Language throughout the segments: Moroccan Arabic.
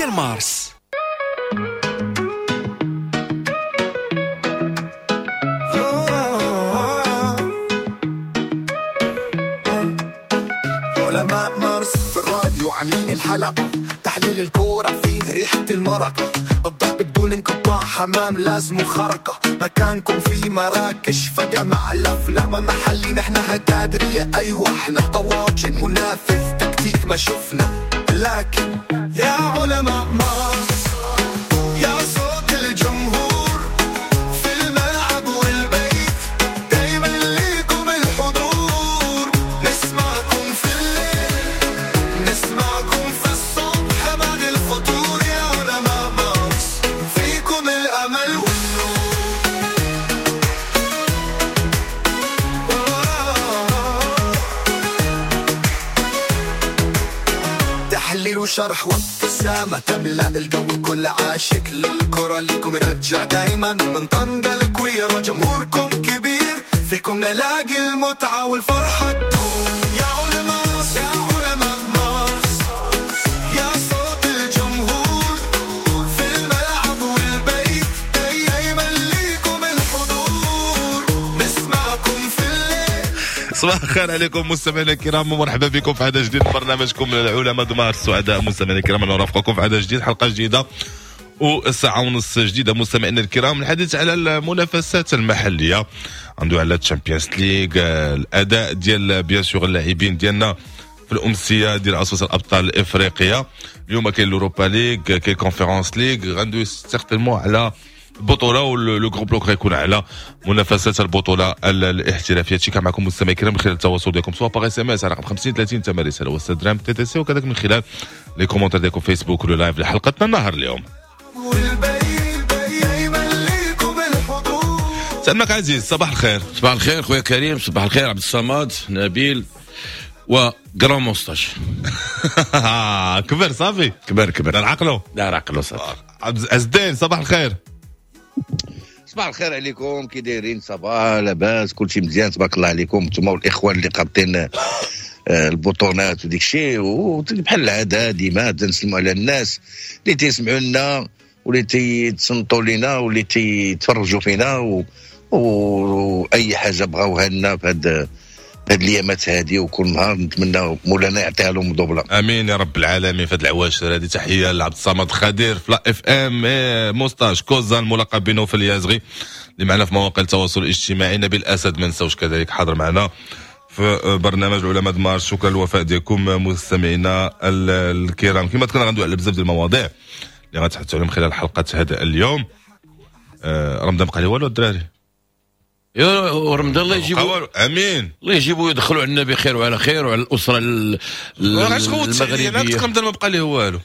ديال مارس. علماء مارس في الراديو عاملين الحلقة، تحليل الكورة فيه ريحة المرقة، الضحك بدون انقطاع، حمام لازم خرقة، مكانكم في مراكش فجمع الأفلام محلي، نحن هتادرية أيوة احنا طواجن منافذ تكتيك ما شفنا، لكن يا علماء مارس يا صوت الجمهور في الملعب والبيت، دايما ليكم الحضور، نسمعكم في الليل نسمعكم في الصبح بعد الفطور، يا علماء مارس فيكم الأمل والنور. تحليل وشرح وابتسامة تملأ الجو، كل عاشق للكرة لكم يرجع دايما، من طنجة لكويرة جمهوركم كبير، فيكم نلاقي المتعة والفرحة تدوم. يا علماء يا علماء مارس يا صوت الجمهور في الملعب والبيت، دايما ليكم الحضور، نسمعكم في الليل. صباح الخير عليكم مستمعينا الكرام، ومرحبا بكم في عدد جديد من برنامجكم العلماء دمار. السعداء مستمعينا الكرام ان نرافقكم في عدد جديد، حلقة جديدة وساعة ونص جديدة مستمعينا الكرام. الحديث على المنافسات المحلية، عنده على الشامبيونز ليغ، الاداء ديال bien sûr اللاعبين ديالنا في الامسيه ديال عصبه الابطال الافريقية. اليوم كاين l'Europa League، كاين Conference League، غندوي certainement على البطولة و le gros bloc غيكون على منافسات البطولة الاحترافية. هادشي كان معكم مستمعي الكرام من خلال التواصل ديالكم سواء par SMS على رقم 50 30 ثمن رسالة وستة درهم TTC، وكذلك من خلال les commentaires ديالكم فيسبوك ولا live لحلقتنا النهار اليوم. سلمك عزيز، صباح الخير. صباح الخير خويا كريم، صباح الخير عبد الصمد، نبيل و grand moustache. كبر صافي، كبر كبر، دار عقلو دار عقلو صافي. عبد الدين صباح الخير. صباح الخير عليكم، كي دايرين؟ صباح لاباس، كلشي مزيان تبارك الله عليكم نتوما والاخوان اللي قابطين البطونات وديك الشيء، وبحال العادة ديما تنسلموا على الناس اللي تيسمعوا لنا واللي تيتصنتوا لنا واللي تيتفرجوا فينا واي حاجة بغاوها لنا في هاد الايامات هذه، وكل نهار نتمنى مولانا يعطيها لهم دوبله. امين يا رب العالمين. في هاد العواشر هذه تحية لعبد الصمد خدير في la FM، moustache كوزا الملقب بنوفل اليازغي اللي معنا في مواقع التواصل الاجتماعي، نبيل اسد ما نساوش كذلك حاضر معنا في برنامج العلماء دمار. شكرا للوفاء ديالكم مستمعينا الكرام. كما ذكرنا غندوي على بزاف ديال المواضيع اللي غنتحدثوا عليهم خلال حلقة هذا اليوم. رمضان بقى لي والو الدراري، يا رمضان الله يجيبوا، امين الله يجيبوا يدخلوا عندنا بخير وعلى خير وعلى الاسرة المغربية. انا كنت رمضان ما بقى ليه والو،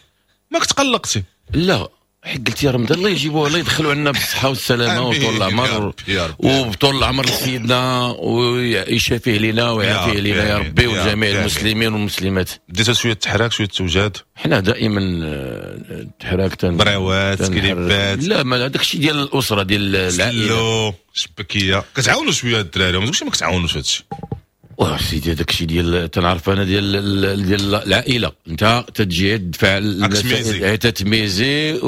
ما كنت قلقتي؟ لا حيت قلت يا رمضان الله يجيبوه، الله يدخلوا عندنا بالصحة والسلامة وطول العمر، وبطول العمر لسيدنا ويشافيه لنا ويعافيه لنا يا ربي وجميع المسلمين والمسلمات. بديتوا شوية تحراك شوية توجاد؟ حنا دائما تحراك، بريوات كريبات، لا ما هذاك الشيء ديال الاسرة ديال العائلة، شبكيه كتعاونوا شوية الدراري، ما تقولش ما كتعاونوش هادشي. واه سيدي هذاك الشيء ديال تنعرف انا ديال العائلة، انت تجي تدفع تتميزي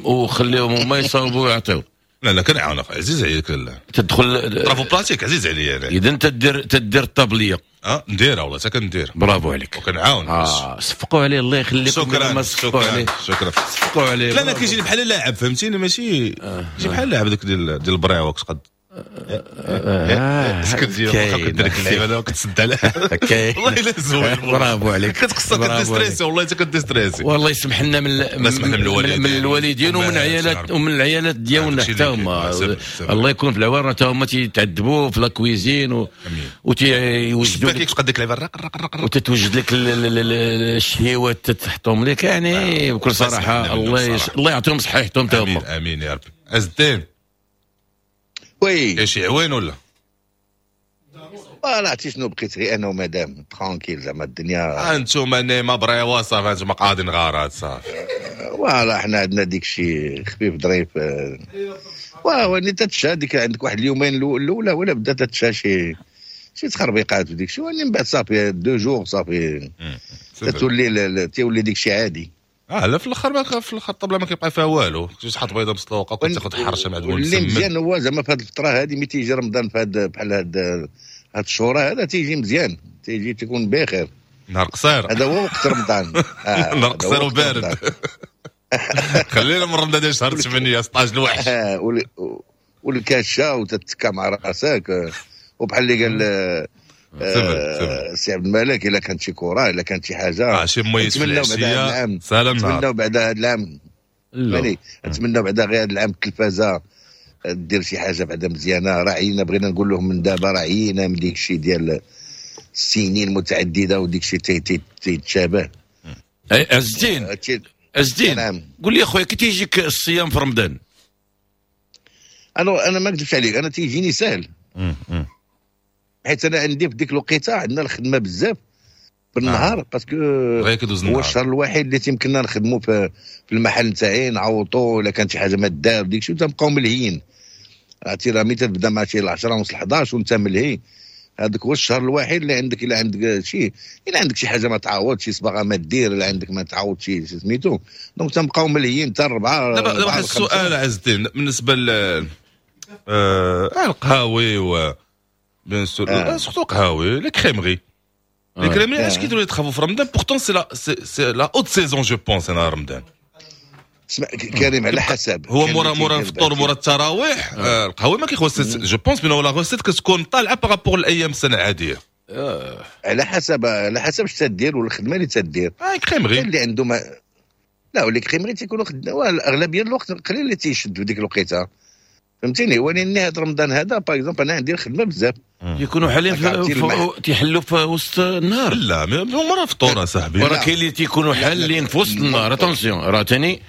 وخليهم هما يصاوبوا ويعطيو. لا لا كنعاون اخي عزيز عليك، لا تدخل travaux pratiques عزيز عليا انا. اذا تدير الطابليه نديرها والله حتى كندير. برافو عليك وكنعاون. صفقوا عليه الله يخليكم. شكرا شكرا شكرا، صفقوا عليه. لا لا كيجيني بحال اللاعب فهمتيني، ماشي كيجي بحال اللاعب داك ديال البريوك قد سكت كدير لك اللعيبة كتسد عليها والله الا زوين. برافو عليك، كتقصى كديستريسي والله حتى كديستريسي. والله يسمح لنا من الوالدين ومن عيالات ومن العيالات ديالنا حتى هما، الله يكون في العوان، حتى هما تيتعذبوا في la cuisine وتيوجدوا لك تقد ديك اللعيبة الرق الرق الرق وتتوجد لك الشهيوات تحطهم لك، يعني بكل صراحة الله يعطيهم صحيحتهم حتى هما. امين يا ربي. عز الدين oui كاين شي عوين ولا؟ لا عرفتي شنو، بقيت غير انا ومدام tranquille زعما الدنيا. انتم نيما بريوا صافي، انتم قاعدين غارات صافي. voilà حنا عندنا ديك الشيء خفيف ظريف. واه تتشا ديك عندك واحد اليومين الاولى ولا بدا تتشا شي تخربيقات وديك الشيء، ومن بعد صافي 2 jours صافي تولي تولي ديك الشيء عادي. لا في الاخر ما في الاخر الطبلة ما كيبقى فيها والو، تحط بيضة مسلوقة وكتاخذ حرشه مع دول. اللي مزيان هو زعما في هذه الفترة هذه ملي تيجي رمضان في هذا بحال هذا الشهور هذا تيجي مزيان، تيجي تكون بخير. نهار قصير، هذا هو وقت رمضان. نهار قصير وبارد. خلينا من رمضان ديال شهر 8 16 الوحش. والكاشه وتتكا مع راسك، وبحال اللي قال سي عبد الملك الا كانت شي كره الا كانت شي حاجة شي ميت في العشية سلام. نتمناو بعدا هذا العام، نتمناو بعدا غير هذا العام التلفازه دير شي حاجة بعدا مزيانه. راعينا، بغينا نقول لهم من دابا راعينا من ديك الشيء ديال السنين المتعددة وديك الشيء تيتشابه. عز الدين قول لي اخويا كي تيجيك الصيام في رمضان؟ انا ما نكذبش عليك، انا تيجيني سهل، حيت انا عندي في ديك الوقيته عندنا الخدمة بزاف بالنهار، parce que هو الشهر الوحيد اللي تيمكننا نخدموا في المحل نتاعي، نعوطوا الا كانت شي حاجة ما دار ديك الشيء تنبقاو ملهيين. عرفتي راه ملي تبدا مع شي 10 ونص 11 وانت ملهي، هذاك هو الشهر الوحيد اللي عندك الا عندك شي، الا عندك شي حاجة ما تعوض، شي صباغه ما دير، الا عندك ما تعوض شي سميتو، donc تنبقاو ملهيين حتى 4. دابا واحد السؤال عز الدين بالنسبة ل القهاوي و bien sûr surtout قهاوي les crèmeries، les crèmeries علاش كيديروا les travaux في رمضان؟ pourtant c'est la haute saison je pense. انا رمضان اسمع كريم على حسب، هو مورا الفطور مورا التراويح القهوة ما كيخوص، je pense بان la recette كتكون طالعه par rapport الايام السنة العادية. على حسب، على حسب اش تدير والخدمة اللي تدير. crèmerie اللي عنده ما لا و les crèmeries تيكونوا خدمة الاغلبية الوقت قليل اللي تيشد في ديك الوقيته، فهمتيني. ولكن هذا رمضان هذا par exemple انا عندي الخدمة بزاف، يكونوا حالين تيحلوا في وسط النهار. لا مورا الفطور اصاحبي، راه كاين اللي تيكونوا حالين في وسط النهار. attention راه ثاني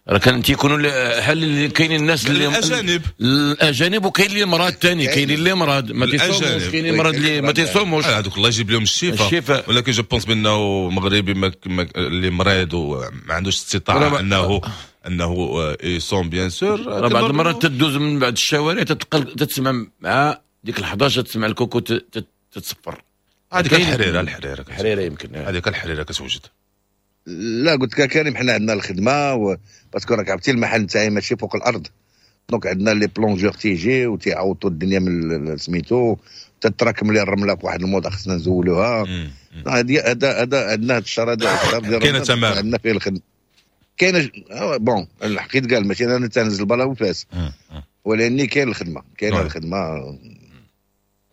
راه كان تيكونوا حال، كاينين الناس اللي الاجانب، الاجانب، وكاين اللي مرض ثاني، كاين اللي مرض ما تيصوموش، كاين اللي مرض اللي ما تيصوموش. هذوك الله يجيب لهم الشفاء، ولكن je pense بانه مغربي اللي مريض وما عندوش استطاعه انه يصوم bien sûr. بعض المرات تدوز من بعد الشوارع تتقل تسمع مع ديك 11 تسمع الكوكو تتصفر. هذيك الحريره، الحريره الحريره يمكن هذيك الحريره كتوجد. لا قلت لك كريم حنا عندنا الخدمة parce que راك عرفتي المحل نتاعي ماشي فوق الارض، donc عندنا les plongeurs تيجي وتيعوطوا الدنيا من سميتو، تتراكم لي الرملة في واحد الموضع خصنا نزولوها. هذا هذا عندنا هذا الشهر هذا كاينه تمام عندنا فيه الخدمة كاينه. bon الحقيقة قال ماشي انا تنزل بلا وفاس، ولاني كاين الخدمة، كاينه الخدمة.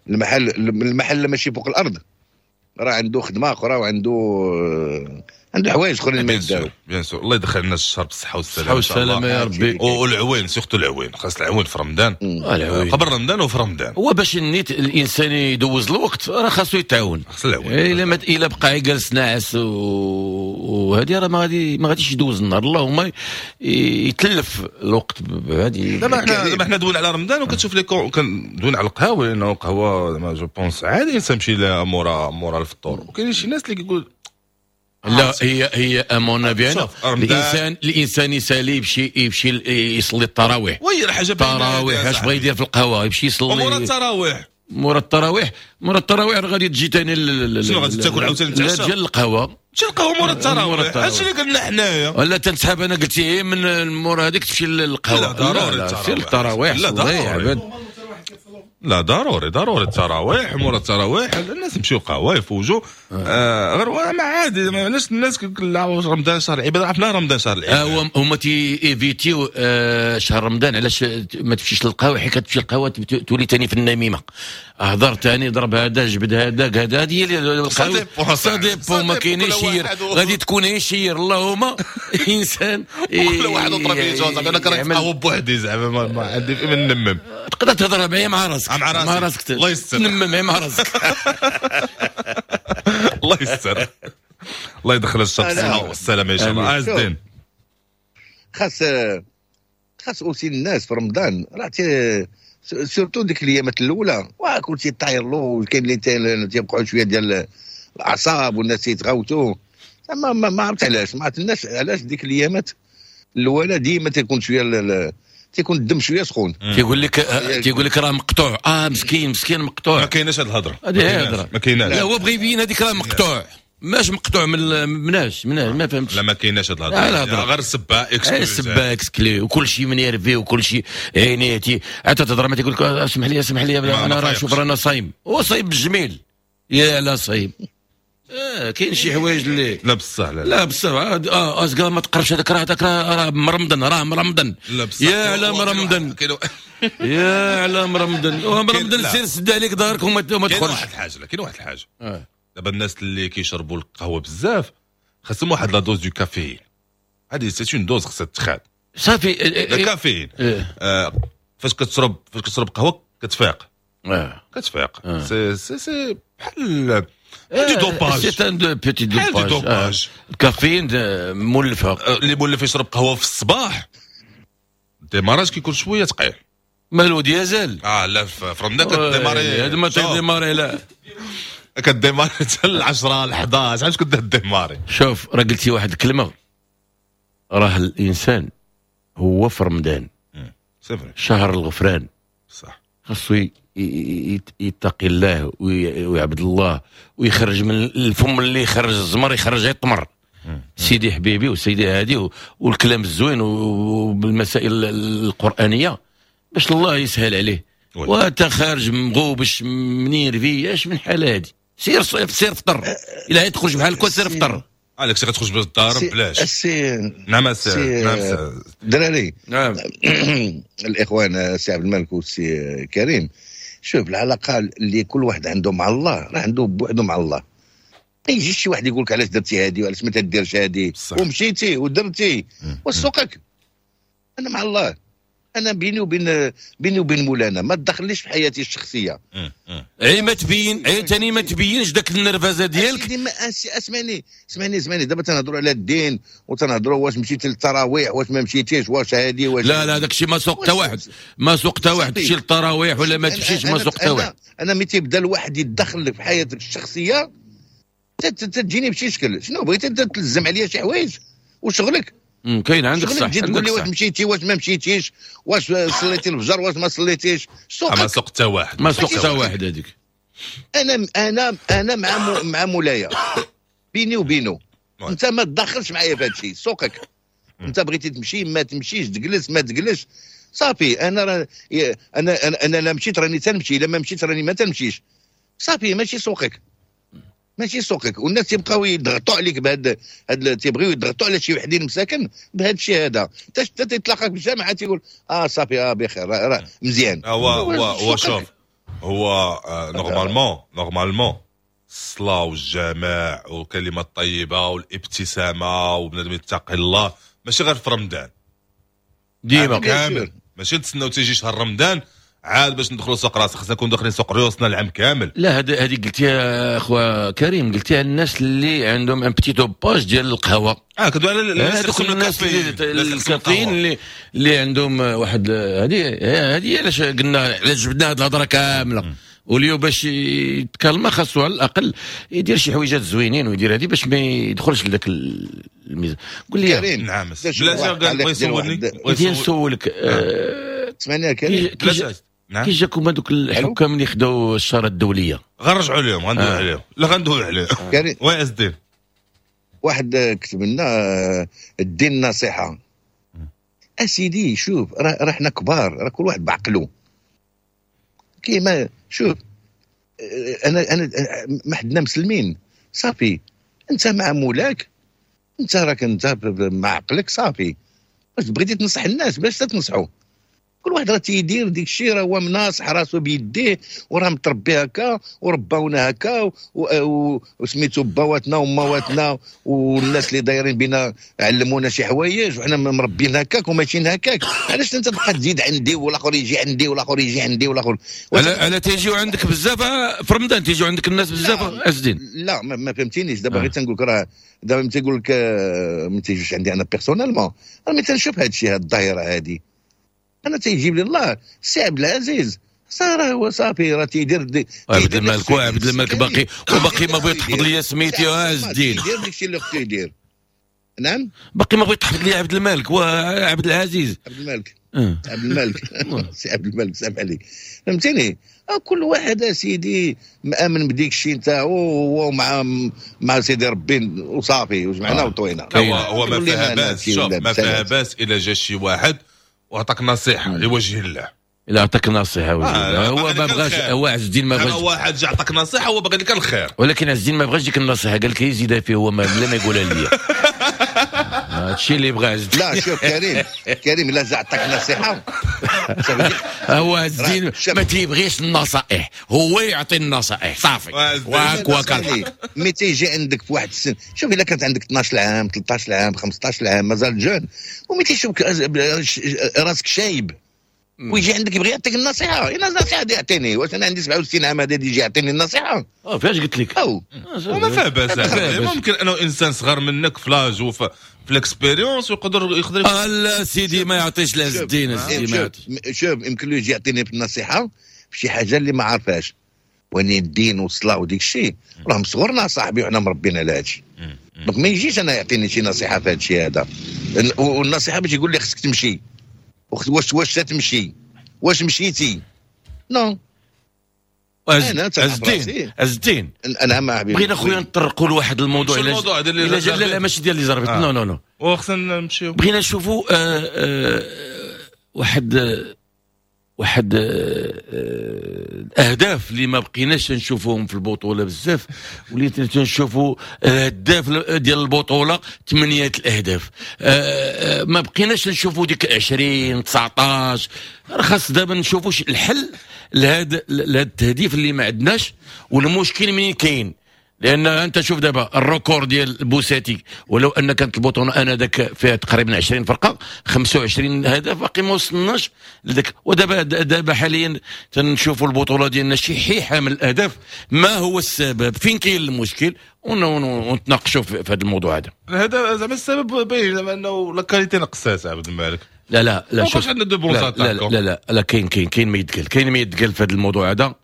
المحل ماشي فوق الارض راه عنده خدمة اخرى وعنده عنده حوايج اخرين ما يداروا. bien sûr الله يدخل لنا الشهر بالصحة والسلامة والسلامة يا ربي. والعوين surtout العوين، خاص العوين في رمضان، قبل رمضان وفي رمضان. هو باش النيت الانسان يدوز الوقت راه خاصو يتعاون، خاص العوين. الا ما الا بقى جالس ناعس وهذه راه ما غاديش يدوز النهار، اللهم يتلف الوقت بهذه. دابا حنا دوينا على رمضان وكتشوف لي كندوينا على القهوة، لانه القهوة زعما je pense عادي الانسان يمشي لها مورا الفطور، وكاين شي ناس اللي كيقول لا هي à mon avis الانسان يسالي يمشي يصلي التراويح. oui حاجة التراويح اش بغى يدير في القهوة؟ يمشي يصلي مورا التراويح، مورا التراويح، مورا التراويح راه غادي تجي ثاني شنو غادي تاكل عاوتاني؟ تمشي للقهوة، تمشي للقهوة مورا التراويح. هادشي اللي قلنا حنايا. ولا تنسحب انا قلت هي من مورا هذيك تمشي للقهوة. لا ضروري التراويح، لا ضروري، لا ضروري التراويح. مورا التراويح الناس يمشيو قهوة يفوجوا. غير ما عادي، علاش الناس كيقول رمضان شهر العبادة؟ عرفنا رمضان شهر العبادة. هما تي éviter يو شهر رمضان. علاش ما تمشيش للقهوة؟ حيت كتمشي للقهوة تولي ثاني في النميمة، هضر ثاني، ضرب هذا، جبد هذاك، هذا هذه هي القهوة. ça dépend ما كاينش شير، غادي تكون شير اللهم انسان كل واحد وطربيته. زعما انا كنتقهوى بوحدي، زعما ما عندي في من نمم. تقدر تهضر معايا مع راسك، مع راسك الله يستر، تنمم مع راسك. الله يستر، الله يدخل الشر بالصحة والسلامة ان شاء الله. عز الدين خاص aussi الناس في رمضان راه surtout ديك الايامات الاولى كلشي طاير له، وكاين اللي تيبقعوا شوية ديال الاعصاب والناس يتغوتوا. ما عرفت علاش، ما عرفت الناس علاش ديك الايامات الاولى ديما تيكون شوية تيكون الدم شوية سخون. تيقول لك راه مقطوع، مسكين مقطوع. ما كايناش هذه الهضرة، هذه هي الهضرة، ما كايناش. لا هو بغى يبين هذيك راه مقطوع. ماش مقطوع من مناش ما فهمتش. لا ما كايناش هاد الهضرة، غير سبا exclu، سبا exclu وكل شيء منيرفي وكل شيء عينيتي حتى تهضر ما تيقول لك اسمح لي اسمح لي انا راه شوف رانا صايم، هو صايم بالجميل يا لا صايم. كاين شي حوايج اللي لا بصح لا لا بصح ازكا ما تقربش هذاك راه هذاك راه مرمضن راه مرمضن لا بصح يا على مرمضن يا على مرمضن ومرمضن سير سد عليك دارك وما تدخلش. كاين واحد الحاجة لا كاين واحد الحاجة دابا الناس اللي كيشربوا القهوة بزاف خاصهم واحد la dose de caféine، هذه c'est une dose خاصها تخاد صافي الكافيين. فاش كتشرب قهوة كتفيق كتفيق c'est c'est c'est بحال du dopage، c'est un petit dopage. الكافيين مولفه، اللي مولف يشرب قهوة في الصباح démarrage كيكون شوية ثقيل. مالو ديازل لا في رمضان ك démarrer، هذا ما ت démarrer لا ك démarrer حتى 10 11 علاش كنت démarrer. شوف راه قلتي واحد الكلمة، راه الانسان هو في رمضان شهر الغفران، صح، خاصو يتقي الله ويعبد الله ويخرج من الفم اللي يخرج الزمر يخرج غير التمر. سيدي حبيبي وسيدي هادي والكلام الزوين وبالمسائل القرآنية باش الله يسهل عليه. وانت خارج مغوبش منيرفي اش من حالة هادي؟ سير سير فطر، الا تخرج بحال هكا سير فطر. عليك سي غتخرج بالدار بلاش. نعم سي نعم دراري. نعم الاخوان السي عبد الملك والسي كريم، شوف العلاقة اللي كل واحد عنده مع الله راه عنده بوحده مع الله. ما يجيش شي واحد يقول لك علاش درتي هادي وعلاش ما تديرش هادي ومشيتي ودرتي وسوقك. انا مع الله، انا بيني وبين مولانا، ما تدخليش في حياتي الشخصية. عي ما تبين، عي ثاني ما تبينش داك النرفزه ديالك. اسمعني اسمعني اسمعني، دابا تنهضروا على الدين وتنهضروا واش مشيتي للتراويح واش ما مشيتيش واش هادي واش لا لا، داك الشيء ما سوق حتى واحد، ما سوق حتى واحد تمشي للتراويح ولا ما تمشيش، ما سوق حتى واحد. انا ملي تيبدا الواحد يتدخل في حياتك الشخصية تجيني بشي شكل. شنو بغيتي انت تلزم عليا شي حوايج وشغلك؟ كاين عندك صح، تجي تقول لي واش مشيتي واش ما مشيتيش، واش صليتي الفجر واش ما صليتيش. ما سوق حتى واحد، ما سوق حتى واحد هذيك. انا انا انا مع مولايا بيني وبينه، انت ما تدخلش معايا في هذا الشيء، سوقك. انت بغيتي تمشي ما تمشيش، تجلس ما تجلس، صافي. انا را انا انا, أنا لا مشيت راني تنمشي، الا ما مشيت راني ما تنمشيش، صافي. ماشي سوقك، ماشي سوقك. والناس تيبقاو يضغطوا عليك بهاد هاد، تيبغيو يضغطوا على شي وحدين مساكن بهذا الشيء هذا. حتى تيتلاقاك في الجامعة تيقول صافي بخير راه مزيان. هو شوف، هو normalement الصلاة والجماع والكلمة الطيبة والابتسامة وبنادم يتقي الله، ماشي غير في رمضان، ديما كامل. ماشي نتسناو تيجي شهر رمضان عاد باش ندخلوا سوق راس، خصنا نكون داخلين سوق ريوسنا العام كامل. لا هذه قلتيها اخويا كريم، قلتيها الناس اللي عندهم un petit dopage ديال القهوة. كدوي على الناس الكافيين اللي عندهم واحد. هذه علاش قلنا، علاش جبدنا هذه الهضرة كاملة. واليوم باش يتكلم خاصو على الاقل يدير شي حويجات زوينين ويدير هذه باش ما يدخلش لذاك الميزان. قول لي نعم لا بغا يسولني، بغيت نسولك. اسمعني يا كريم، نعم. كي جاكم هذوك الحكام اللي خداو الشارة الدولية؟ غنرجعوا لهم، غندوي عليهم، لا غندوي عليهم. oui عز واحد كتب لنا الدين نصيحة. اسيدي شوف، راه حنا كبار، راه كل واحد بعقله. كيما شوف، انا ما حدنا مسلمين، صافي. انت مع مولاك، انت راك انت مع عقلك، صافي. واش بغيتي تنصح الناس باش تنصحوا؟ كل واحد راه تيدير ديك الشيء، راه هو مناصح راسو بيديه وراه متربي هكا ورباونا هكا وسميتو باواتنا ومواتنا والناس اللي دايرين بينا علمونا شي حوايج وحنا مربيين هكاك وماشيين هكاك. علاش انت تبقى تزيد عندي والاخر يجي عندي والاخر يجي عندي والاخر؟ على تيجيو عندك بزاف في رمضان، تيجيو عندك الناس بزاف ازدين. لا ما فهمتينيش دابا. غير تنقول لك راه دابا ملي تيقول لك ما تيجيوش عندي انا personnellement، راه ملي تنشوف هذا الشيء، هذه الظاهرة هذه، انا تيجيب لي الله السي عبد العزيز صار هو صافي راه تيدير عبد الملك، وعبد الملك باقي وباقي ما بغيت تحفظ لي سميتي يا عز الدين. يدير داكشي اللي خصو يدير. نعم باقي ما بغيت تحفظ لي عبد الملك وعبد العزيز. عبد الملك عبد الملك سي عبد الملك سامح لي، فهمتيني؟ كل واحد سيدي مامن بديك الشيء نتاعو هو مع سيدي ربي وصافي وجمعنا وطوينا. هو ما فيها باس، شوف ما فيها باس الا جا شي واحد وعطاك نصيحة لوجه الله. الا عطاك نصيحة وجه الله، هو ما بغاش، هو عز الدين ما بغاش. واحد جا عطاك نصيحة هو باغي لك الخير، ولكن عز الدين ما بغاش ديك النصيحة، قال لك يزيدها فيه هو بلا ما يقولها ليا. هادشي اللي بغى عز الدين. لا شوف كريم الا جا عطاك نصيحة هو عز الدين ما تيبغيش النصائح، هو يعطي النصائح صافي. واك mais تيجي عندك في واحد السن، شوف الا كانت عندك 12 عام 13 عام 15 عام مازال jeune، و mais تيشوفك راسك شايب ويجي عندك يبغي يعطيك النصيحة، انا النصيحة دي يعطيني، واش انا عندي 67 عام هذا يجي يعطيني النصيحة؟ فاش قلت لك؟ وما فيها باس، ممكن انه انسان صغر منك في l'âge وفي l'expérience ويقدر يقدر. لا سيدي ما يعطيش لعز الدين، سيدي ما يعطيش. شوف يمكن له يجي يعطيني في النصيحة في شي حاجة اللي ما عارفهاش، واني الدين والصلاة وديك الشيء راه مصغرنا صاحبي وحنا مربينا على هادشي، donc ما يجيش انا يعطيني شي نصيحة في هادشي هذا. والنصيحة باش يقول لي خصك تمشي، واش تمشي، واش مشيتي؟ non. عز الدين انا مع حبيبي بغينا خويا نطرقوا لواحد الموضوع. الموضوع ديال لا لا ماشي ديال les arbitres، non non non، وخصنا نمشيو. بغينا نشوفوا واحد الاهداف اللي ما بقيناش نشوفوهم في البطولة بزاف، وليت تنشوفوا الهداف ديال البطولة 8 الاهداف، ما بقيناش نشوفوا ديك 20 19. خاص دابا نشوفوا الحل لهذا التهديف اللي ما عندناش، والمشكل منين كاين. لان انت شوف دابا ال record ديال البوساتي، ولو ان كانت البطولة انا ذاك فيها تقريبا 20 فرقه 25 هدف، باقي ما وصلناش لذاك. ودابا دابا حاليا تنشوفوا البطولة ديالنا شي حيحه من الاهداف. ما هو السبب؟ فين كاين المشكل؟ ونتناقشوا في هذا الموضوع هذا. هذا زعما السبب باين زعما انه la qualité نقصات عبد الملك. لا لا لا شوف عندنا deux bons لا لا لا لا كاين كاين كاين ما يتقال، كاين ما يتقال في هذا الموضوع هذا.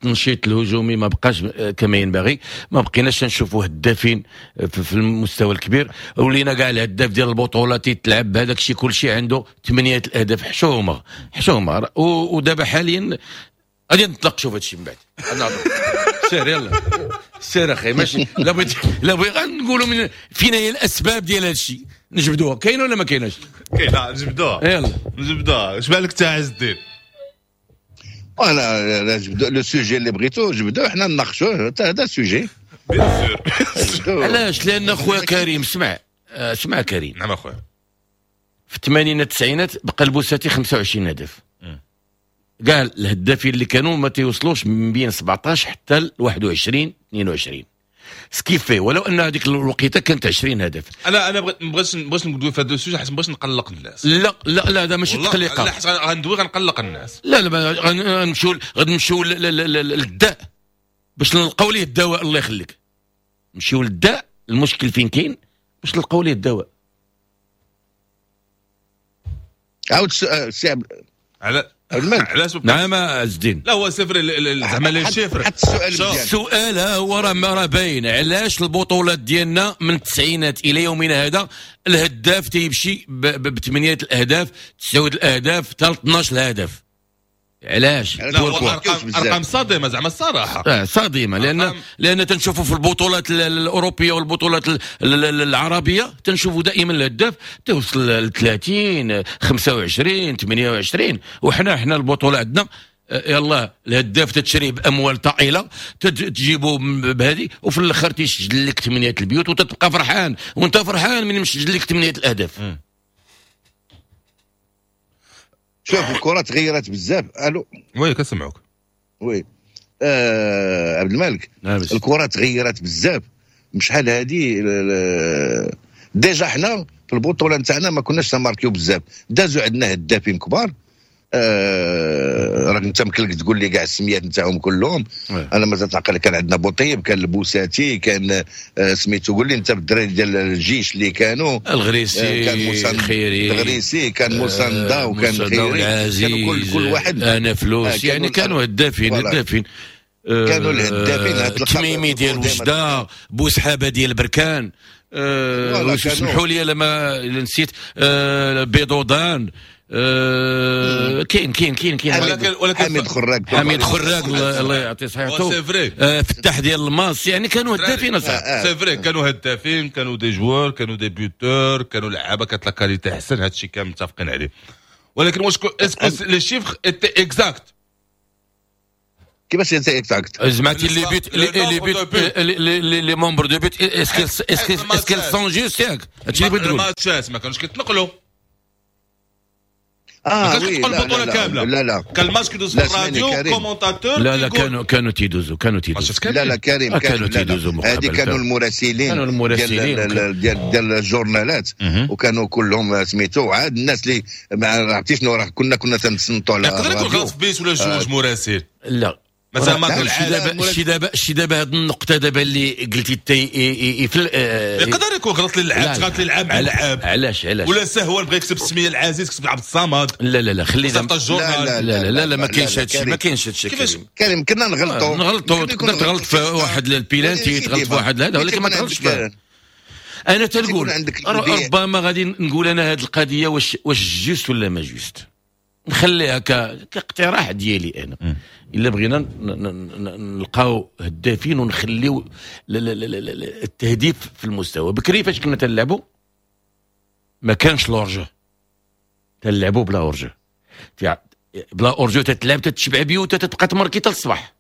التنشيط الهجومي ما بقاش كما ينبغي، ما بقيناش نشوفوا هدافين في المستوى الكبير، ولينا كاع الهداف ديال البطولة تيتلعب بهذاك الشيء كلشي عنده 8 الاهداف. حشومه حشومه. ودابا حاليا غادي نتناقشوا في هذا الشيء من بعد. سير يلا سير اخي، ماشي لا بغيت لا بغيت غنقولوا من فينا هي الاسباب ديال هذا الشيء، نجبدوها كاين ولا ما كايناش؟ كاينه نجبدوها، يلا نجبدوها. اش بالك تا عز الدين؟ انا جبدو le sujet اللي بغيتو جبدوه، حنا نناقشوه هذا sujet bien sûr. علاش؟ لان خويا كريم اسمع اسمع كريم. نعم اخويا. في الثمانينات التسعينات بقى البوساتي 25 هدف، كاع الهدافين اللي كانوا ما تيوصلوش من بين 17 حتى ل 21 22 ce qui fait، ولو ان هذيك الوقيته كانت 20 هدف. انا بغيت ندوي في هذا ال sujet حيت بغيت نقلق الناس. لا لا لا هذا ماشي تقليقه، لا حيت غندوي غنقلق الناس. لا لا غنمشيو للداء باش نلقاو ليه الدواء. الله يخليك نمشيو للداء، المشكل فين كاين باش نلقاو ليه الدواء. عاود السي على علاش؟ نعم عز الدين. لا هو صفر زعما les chiffres. حتى السؤال مزيان. السؤال ها هو راه باين، علاش البطولات ديالنا من التسعينات الى يومنا هذا الهداف تيمشي بثمانية الاهداف، 9 الاهداف، حتى 12 الهدف؟ علاش؟ ارقام صادمه زعما الصراحة. صادمه، لان تنشوفوا في البطولات الاوروبية والبطولات العربية تنشوفوا دائما الهداف توصل ل 30 25 28، وحنا حنا البطولة عندنا يلا الهداف تتشريه باموال طائلة، تجيبه بهذه، وفي الاخر تيسجل لك 8 البيوت وتتبقى فرحان، وانت فرحان من مسجل لك 8 الاهداف. شوف الكره تغيرت بزاف. الو oui كنسمعوك. oui عبد الملك، الكره تغيرت بزاف شحال هادي. déjà حنا في البطولة نتاعنا ما كناش نماركيو بزاف، دازو عندنا هدافين كبار. راك انت مكلك تقول لي كاع السميات نتاعهم كلهم. انا مازال تعقل كان عندنا بوطيب، كان البوساتي، كان سميتو قول لي انت بالدراري ديال الجيش اللي كانوا الغريسي، كان خيري الغريسي، كان موساندا، وكان خيري، كانوا كل واحد انا فلوس، يعني كانوا هدافين هدافين، كانوا الهدافين. التميمي ديال وجده، بوسحابه ديال بركان، سمحوا لي لما نسيت، بيضودان، كاين كاين كاين كاين، ولكن حميد خراق، حميد خراق الله يعطيه صحته، فتح ديال الماس، يعني كانوا هدافين صح. c'est vrai كانوا هدافين، كانوا des joueurs، كانوا des buteurs، كانوا لعابه كانت la qualité احسن، هادشي كامل متفقين عليه. ولكن واش est-ce que les chiffres étaient exacts؟ كيفاش exacts؟ زعما les buts، les buts، les nombres de buts، est-ce qu'ils sont justes؟ ياك هادشي اللي بغيت تقول. الماتشات ما كانوش كيتنقلوا، اه oui، البطولة كامله. لا لا، كان الماتش كيدوز في الراديو commentateur. لا لا، كانوا تيدوزوا، كانوا تيدوزوا. لا لا كريم، كانوا تيدوزوا. هذه كانوا المراسلين، كانوا المراسلين ديال الجورنالات، وكانوا كلهم سميتو. عاد الناس اللي ما عرفتي شنو، راه كنا تنتصنتوا على يقدر يكون غلط في بيس ولا جوج مراسل. لا. مثلا ما شي دابا هذه النقطة دابا اللي قلتي تي يقدر يكون غلط للعاب، غلط للعاب مع اللعاب. علاش علاش؟ ولا سهوا بغى يكتب السمية العزيز كتب عبد الصمد. لا لا لا، خلينا. لا لا لا لا لا، ما كاينش هادشي، ما كاينش هادشي. كيفاش؟ كريم، كنا نغلطوا. نغلطوا، تقدر تغلط في واحد البيلانتي، تغلط في واحد هذا، ولكن ما تغلطش. انا تنقول ربما غادي نقول انا هذه القضية واش juste ولا ما juste، نخليها كاقتراح ديالي انا. الا بغينا نلقاو هدافين ونخليو التهديف في المستوى، بكري فاش كنا تنلعبوا ما كانش l'hors-jeu، تنلعبوا بلا hors-jeu، بلا hors-jeu تتلعب، تتشبع بيوت، تتبقى تمركي حتى الصباح.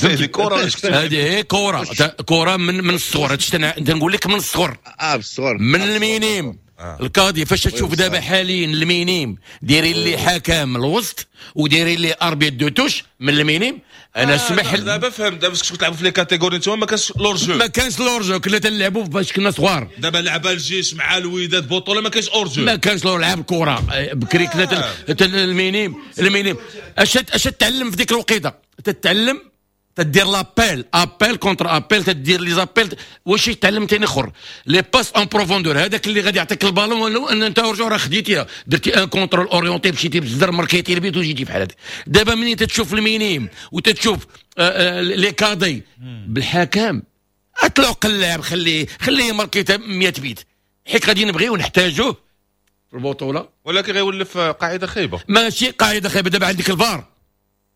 هذه كره. هذه هي كره، كره من الصغر. هادشي تنقول لك من الصغر. اه، بالصغر. من ال minimes. ال cadets فاش تشوف دابا حاليا ال minimes دايرين لي حكم الوسط ودايرين لي arbitre de touche من ال minimes، انا سمح. دابا فهمت، دابا كنتو تلعبوا في les catégories نتوما ما كانش l'hors-jeu. ما كانش l'hors-jeu، كنا تنلعبوا فاش كنا صغار. دابا لعب الجيش مع الوداد بطوله ما كانش hors-jeu. ما كانش l'hors، لعب الكره بكري كنا ال minimes، ال minimes اش تعلم في ديك الوقيته؟ تتعلم تدير l'appel، appel contre appel، تدير les appels. واش يتعلم ثاني اخر؟ les passes en profondeur، هذاك اللي غادي يعطيك البالون ولو ان انت hors-jeu راه خديتيها، درتي un contrôle orienté، مشيتي بالزر، مركيتي البيت وجيتي بحال هذا. دابا منين تتشوف ال minimes وتتشوف les cadets بالحكم، اطلق اللاعب، خليه خليه يماركي 100 بيت، حيت غادي نبغيو نحتاجوه في البطوله. ولكن غيولف قاعدة خايبه. ماشي قاعدة خايبه، دابا عندك الفار،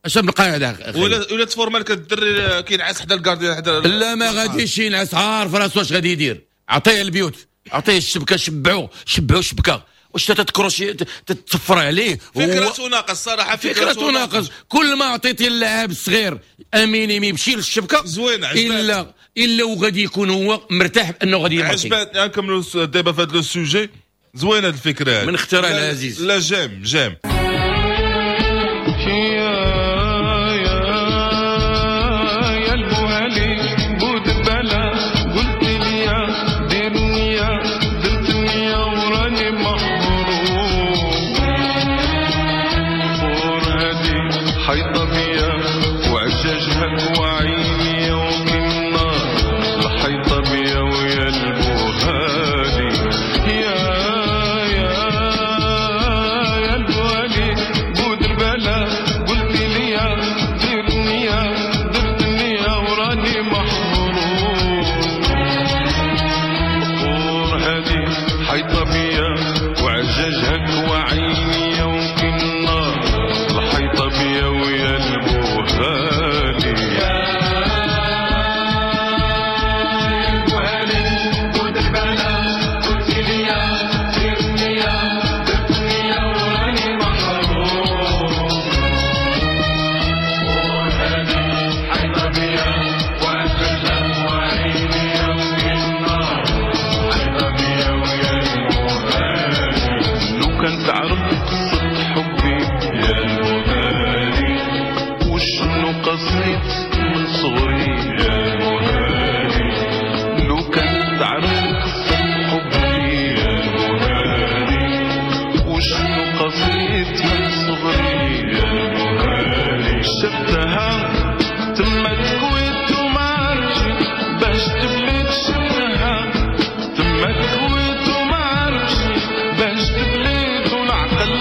اش من القاعده؟ ولا تفورما لك الدري كينعس حدا ال gardien حدا. لا، ما غاديش ينعس، عارف راسو اش غادي يدير. عطية البيوت، عطية الشبكه، شبعو شبعو شبكه. واش تتكروشي تتصفر عليه؟ فكرة تناقش الصراحه. فكرة تناقش. كل ما عطيتي اللاعب الصغير un minime يمشي للشبكه زوين. الا وغادي يكون هو مرتاح بانه غادي يماركي. عجبتني، نكملوا دابا في هذا le sujet، زوين هذه الفكره. من اختراع العزيز. لا، j'aime j'aime. يا البوهالي بودبالة، قلت لي دير نية، درت نية وراني محروم. هادي حيطة بيا وعجاجها وعيني وكنا الحيطة بيا. ويا البوهالي، يا يا يا البوهالي بودربالة، قلت لي دير نية، درت نية وراني محروم. هادي حيطة بيا وعجاجها وعيني وكنا الحيطة بيا. ويا البوهالي، يا البوهالي بودربالة، قلت لي دير نية، درت نية وراني محروم. هادي حيطة بيا وعجاجها وعيني وكنا حيطة بيا. ويا البوهالي، لو كان تعرف قصة حبي يا البوهالي، وشنو قصيت من صغري يا البوهالي، لو كان تعرف قصة حبي يا البوهالي، وشنو قصيت من صغري يا البوهالي. شفتها تما تكويت وما عرفتش باش تبليت، شفتها تما تكويت وما عرفتش باش تبليت، والعقل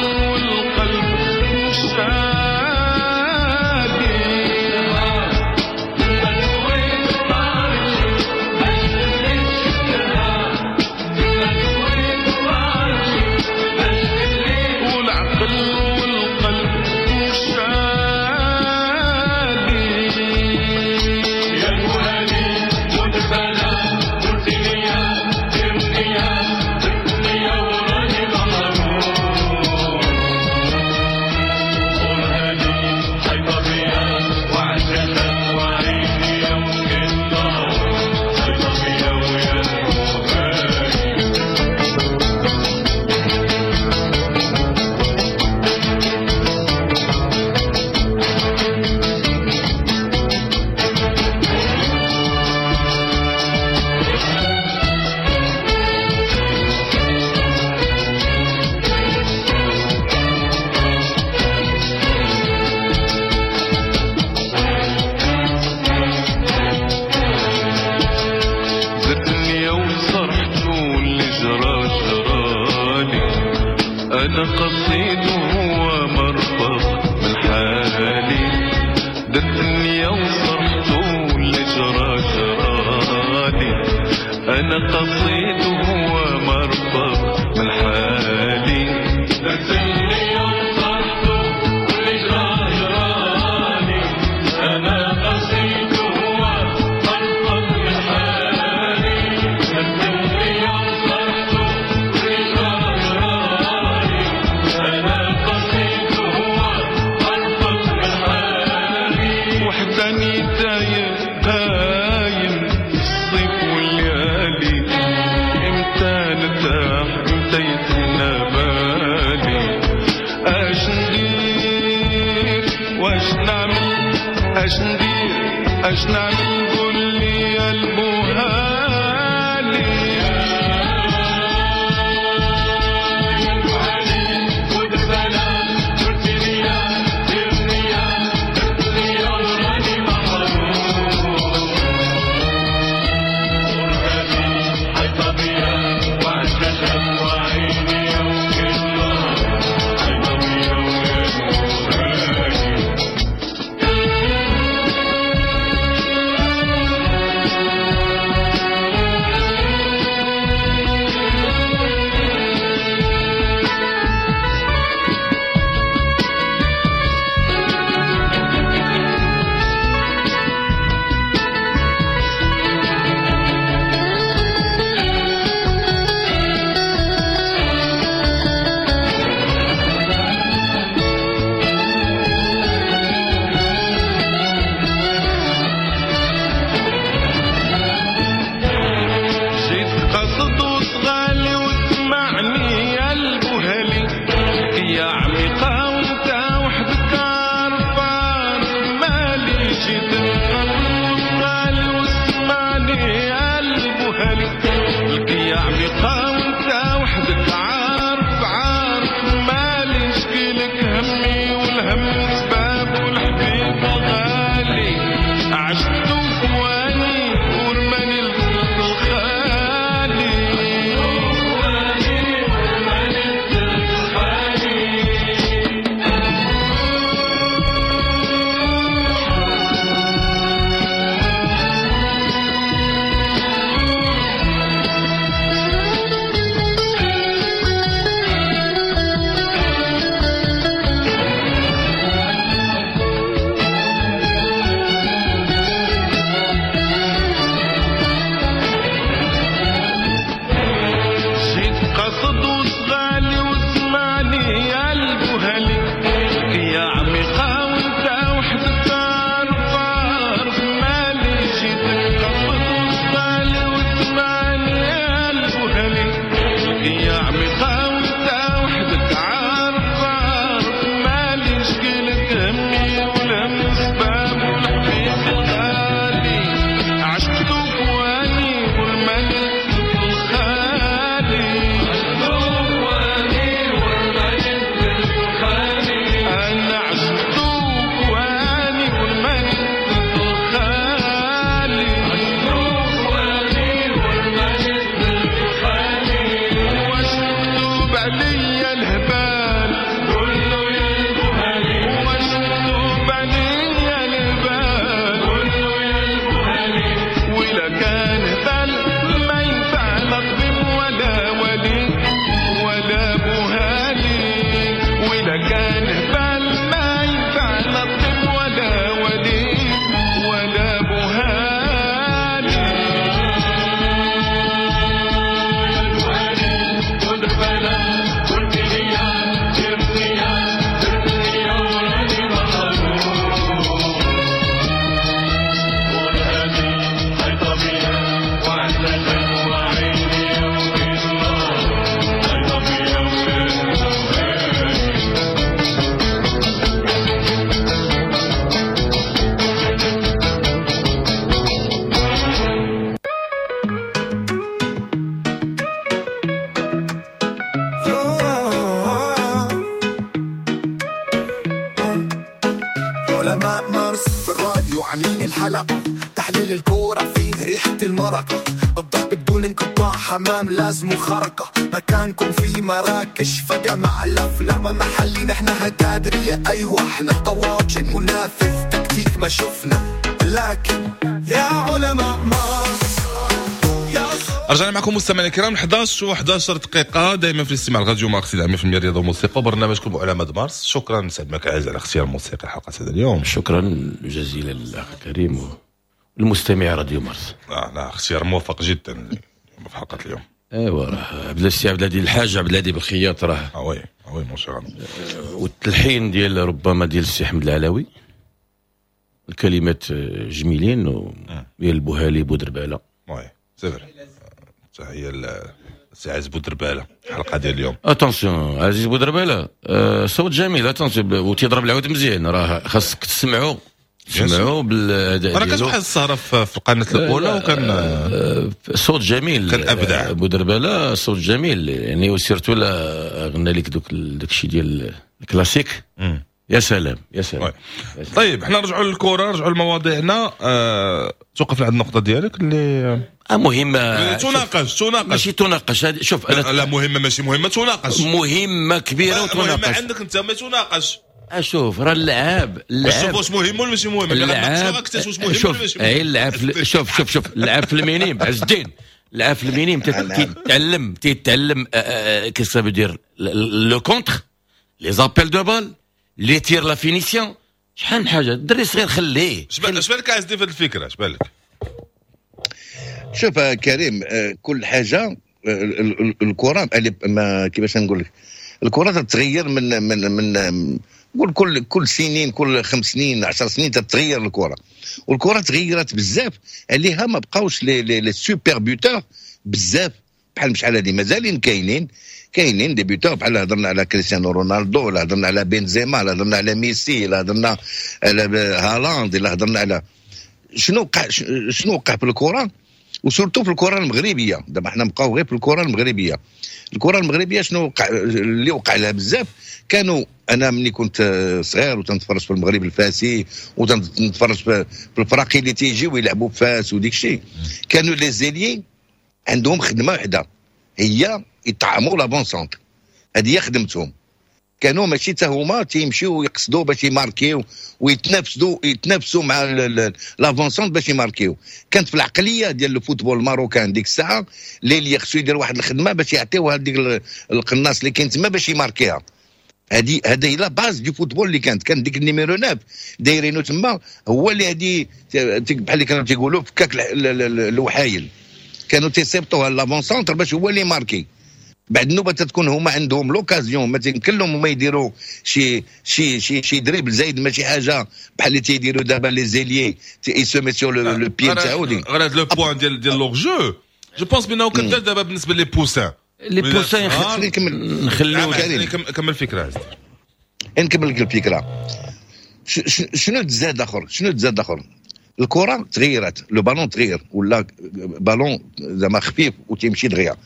أنا قصيد وهو مرفق من حالي، درت النية وصرحته اللي جرى جرالي. أنا قصيد وهو مرفق من حالي، درت النية وصرحته واللي جرى جرالي. أنا قصيد وهو مرفق من حالي، درت النية وصرحته واللي جرى جرالي. أنا قصيد وهو مرفق من حالي. وحداني تايه هايم الصيف والليالي، امتى نرتاح امتى يتهنى بالي. اش ندير واش نعمل، اش ندير اش نعمل، قول لي يا البوهالي. جيت قصد وصغالي وسمعني يا البوهالي، يا عميقة وانت وحدك عارف عارف مالي. جيت قصد وصغالي وسمعني يا البوهالي، يا عميقة وانت وحدك عارف عارف مالي. نشكيلك همي والهم سباب والحبيب غالي، عشت وثواني ورماني الفلوس الخالي. جيت قصد وصغالي وسمعني يا البوهالي، يا عميقة وانت وحدك عارف عارف مالي. جيت قصد وصغالي وسمعني يا البوهالي، يا عميقة وانت وحدك عارف عارف مالي. نشكيلك همي والهم سباب والحبيب غالي، عشت وثواني والمالي الخالي. أنا عشت وثواني والمالي الخالي، واش مكتوب عليا الهبال، واش مكتوب عليا الهبال. وإلا كان هبال ما ينفع لا طبيب ولا ولي ولا بوهالي. وإلا كان هبال ما ينفع لا طبيب ولا ولي ولا بوهالي. علماء مارس في الراديو عاملين الحلقة، تحليل الكورة فيه ريحة المرق، الضرب بدون بدون انقطاع، حمام لازم خرقة، مكانكم في مراكش فجمع الأفلام محلي، نحن هتادرية أيوة احنا طواجن، منافس تكتيك ما شفنا، لكن يا علماء مارس. رجعنا معكم مستمعينا الكرام، 11 و11 دقيقة، دائما في الاستماع لراديو مارس 100% رياضة وموسيقى وبرنامجكم علماء مارس. شكرا سعد مكي عزيز على اختيار الموسيقى حلقة هذا اليوم. شكرا جزيلا للاخ كريم والمستمع راديو مارس. لا اختيار موفق جدا في حلقة اليوم. ايوا راه عبد السي عبد الهادي الحاج عبد الهادي بالخياط راه oui oui mon cher. والتلحين ديال ربما ديال السي احمد العلاوي، الكلمات جميلين ديال البوهالي بودرباله. oui c'est vrai، تحية لسي عزيز بودرباله الحلقة ديال اليوم. attention عزيز بودرباله صوت جميل، attention وتيضرب العود مزيان، راه خاصك تسمعوا بالاداء. انا كانت واحد السهرة في القناة الاولى وكان صوت جميل. كان ابدع بودرباله، صوت جميل يعني، و surtout لا غنى لك داك الشيء ديال الكلاسيك. يا سلام يا سلام. طيب حنا نرجعوا للكره، نرجعوا لمواضيعنا. توقفنا عند النقطة ديالك اللي مهمة. تناقش ماشي تناقش. شوف انا لا مهمة ماشي مهمة، تناقش مهمة كبيرة وتناقش. مهمة عندك انت ما تناقش. اشوف راه اللعاب شوف واش مهم ولا ماشي مهم. اللعاب شوف اللعاب شوف شوف شوف اللعاب في ال minimes عز الدين، اللعاب في ال minimes تيتعلم qu'est-ce que dire le contre، les appels de balle، les tirs، la finition، شحال من حاجة. الدري الصغير خليه. اش بالك عز الدين في هذه الفكرة؟ اش بالك؟ شوف كريم، كل حاجة الكره ما كيفاش نقول لك، الكره تتغير من من من قول كل سنين، كل 5 سنين 10 سنين تتغير الكره، والكره تغيرت بزاف عليها. ما بقاوش les super buteurs بزاف بحال شحال هذه، مازالين كاينين des buteurs بحال هضرنا على كريستيانو رونالدو، ولا هضرنا على بنزيما، ولا هضرنا على ميسي، ولا هضرنا على هالاند، ولا هضرنا على شنو وقع في الكره، و surtout في الكره المغربية. دابا حنا نبقاو غير في الكره المغربية. الكره المغربية شنو وقع اللي وقع لها بزاف؟ كانوا انا ملي كنت صغير وتنتفرج في المغرب الفاسي وتنتفرج في الفراقي اللي تيجيو يلعبوا في فاس وديك الشيء، كانوا les ailiers عندهم خدمة وحده، هي يطعموا l'avant-centre، هذه هي خدمتهم. كانوا ماشي حتى هما تيمشيو يقصدوا باش يماركيو ويتنافسوا مع l'avant-centre باش يماركيو. كانت في العقلية ديال ال football marocain ديك الساعة اللي خصو يدير واحد الخدمة باش يعطيوها هذيك القناص اللي كاين تما باش يماركيها. هذه هي la base du football اللي كان ديك ال numéro 9 دايرينو تما، هو اللي هذه بحال اللي كانوا تيقولوا فكاك الوحايل، كانوا تيصيبطوها l'avant-centre باش هو اللي ماركي. بعد النوبة تتكون هما عندهم l'occasion، ما تيمكن لهم هما يديروا شي شي شي شي dribble زايد، ماشي حاجة بحال اللي تيديروا دابا les ailiers ils se mettent sur le pied تاعو. غير هذا le point ديال l'hors-jeu، je pense بانه كدار دابا بالنسبة les poussins. les poussins نخليو كمل الفكرة. نكمل لك الفكرة. شنو تزاد اخر؟ شنو تزاد اخر؟ الكره تغيرت، le ballon تغير، ولا بالون زعما خفيف وتيمشي دغيا.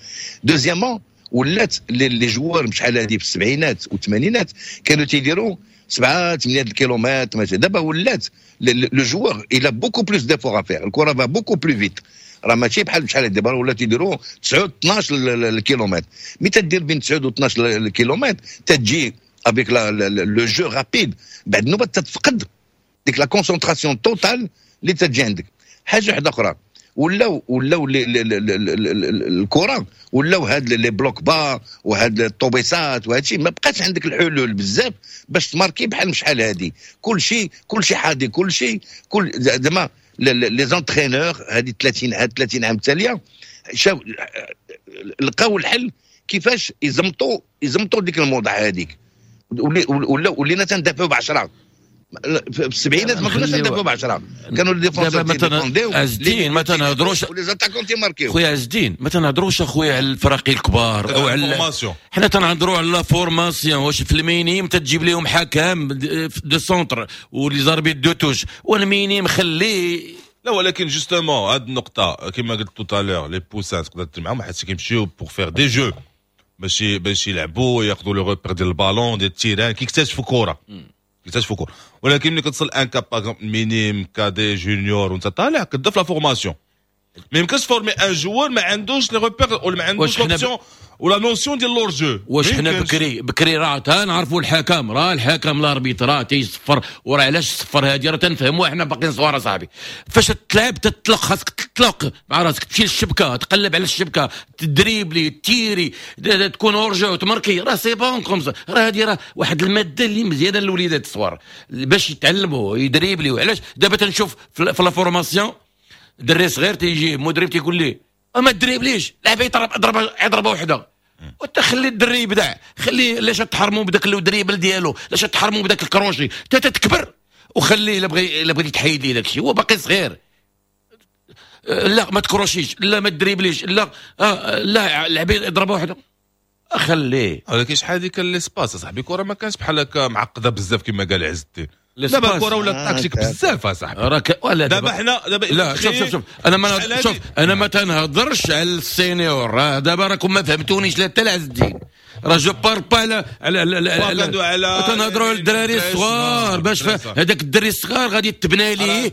deuxièmement ولات les joueurs شحال هذه في السبعينات والثمانينات كانوا تيديروا 7 8 الكيلومتر، دابا ولات le joueur il a beaucoup plus d'efforts à faire، الكره va beaucoup plus vite، راه ماشي بحال شحال دابا ولا تيديروا 9 12 الكيلومتر. mais تدير بين 9 و 12 الكيلومتر تجي avec le jeu rapide، بعد نوبه تتفقد ديك la concentration totale اللي تجي عندك. حاجة واحدة اخرى، ولاو الكره ولاو هاد les blocs bas وهاد الطوبيسات وهاد الشيء، ما بقاش عندك الحلول بزاف باش تماركي بحال شحال هادي. كل شيء حادي، كل شيء كل زعما les entraîneurs هادي 30 عام التالية شاف لقاو الحل كيفاش يزمطوا ديك الموضة هذيك. ولينا تندافعوا ب10. في السبعينات ما كناش ندافعوا ب10، كانوا les défenseurs تيديفونديو. عز الدين ما تنهضروش و les attaquants تيماركيو. خويا عز الدين ما تنهضروش اخويا على الفراقي الكبار او على formation، حنا تنهضروا على la formation. واش في ال minimes تجيب لهم حكم de centre و les arbitres de touche، وال minimes خليه. لا ولكن justement هاد النقطة كما قلت tout à l'heure، les poussins تقدر دير معاهم حيت كيمشيو pour faire des jeux، ماشي باش يلعبوا ياخذوا les repères ديال البالون ديال ال terrain، كيكتشفوا كره كيكتشفوا كره. ولكن ملي كتصل un cap par exemple minime، cadet، junior وانت طالع كتبدا في la formation. ما يمكنش former un joueur ما عندوش les repères ولا ما عندوش l'option ولا notion ديال l'hors-jeu. واش حنا بكري بكري راه تنعرفوا الحكم، راه الحكم l'arbitre راه تيصفر، وراه علاش الصفر هادي راه تنفهموها حنا باقيين صغار صاحبي. فاش تلعب تطلق، خاصك تطلق مع راسك، تمشي للشبكه، تقلب على الشبكه، تدريبلي، تيري، تكون hors-jeu وتماركي، راه c'est bon comme ça. راه هادي راه واحد المادة اللي مزيانه للوليدات الصغار باش يتعلموا يدريبلي. علاش دابا تنشوف في la formation دري صغير تيجي مدرب تيقول ليه ما تدريبليش، لعب يضرب ضربه وحده، وانت خلي الدري يبدع، خليه. علاش تحرموا بداك ال dribble ديالو؟ علاش تحرموا بداك الكروشي؟ انت تتكبر وخليه، الا بغيتي تحيد ليه داك الشيء هو باقي صغير. لا ما تكروشيش، لا ما تدريبليش، لا لا لعبي ضربه واحده، خليه. ولكن شحال هذيك l'espace اصاحبي، كره ما كانش بحال هكا معقدة بزاف كما قال عز الدين. دابا الكره ولا التكتيك بزاف اصاحبي. راك ولا دابا حنا دابا لا شوف شوف شوف، انا ما شوف انا ما تنهضرش على ال seniors دابا، راكم ما فهمتونيش. لا حتى عز الدين راه je parle pas على على على تنهضروا على الدراري الصغار، باش هذاك الدري الصغار غادي تبنى ليه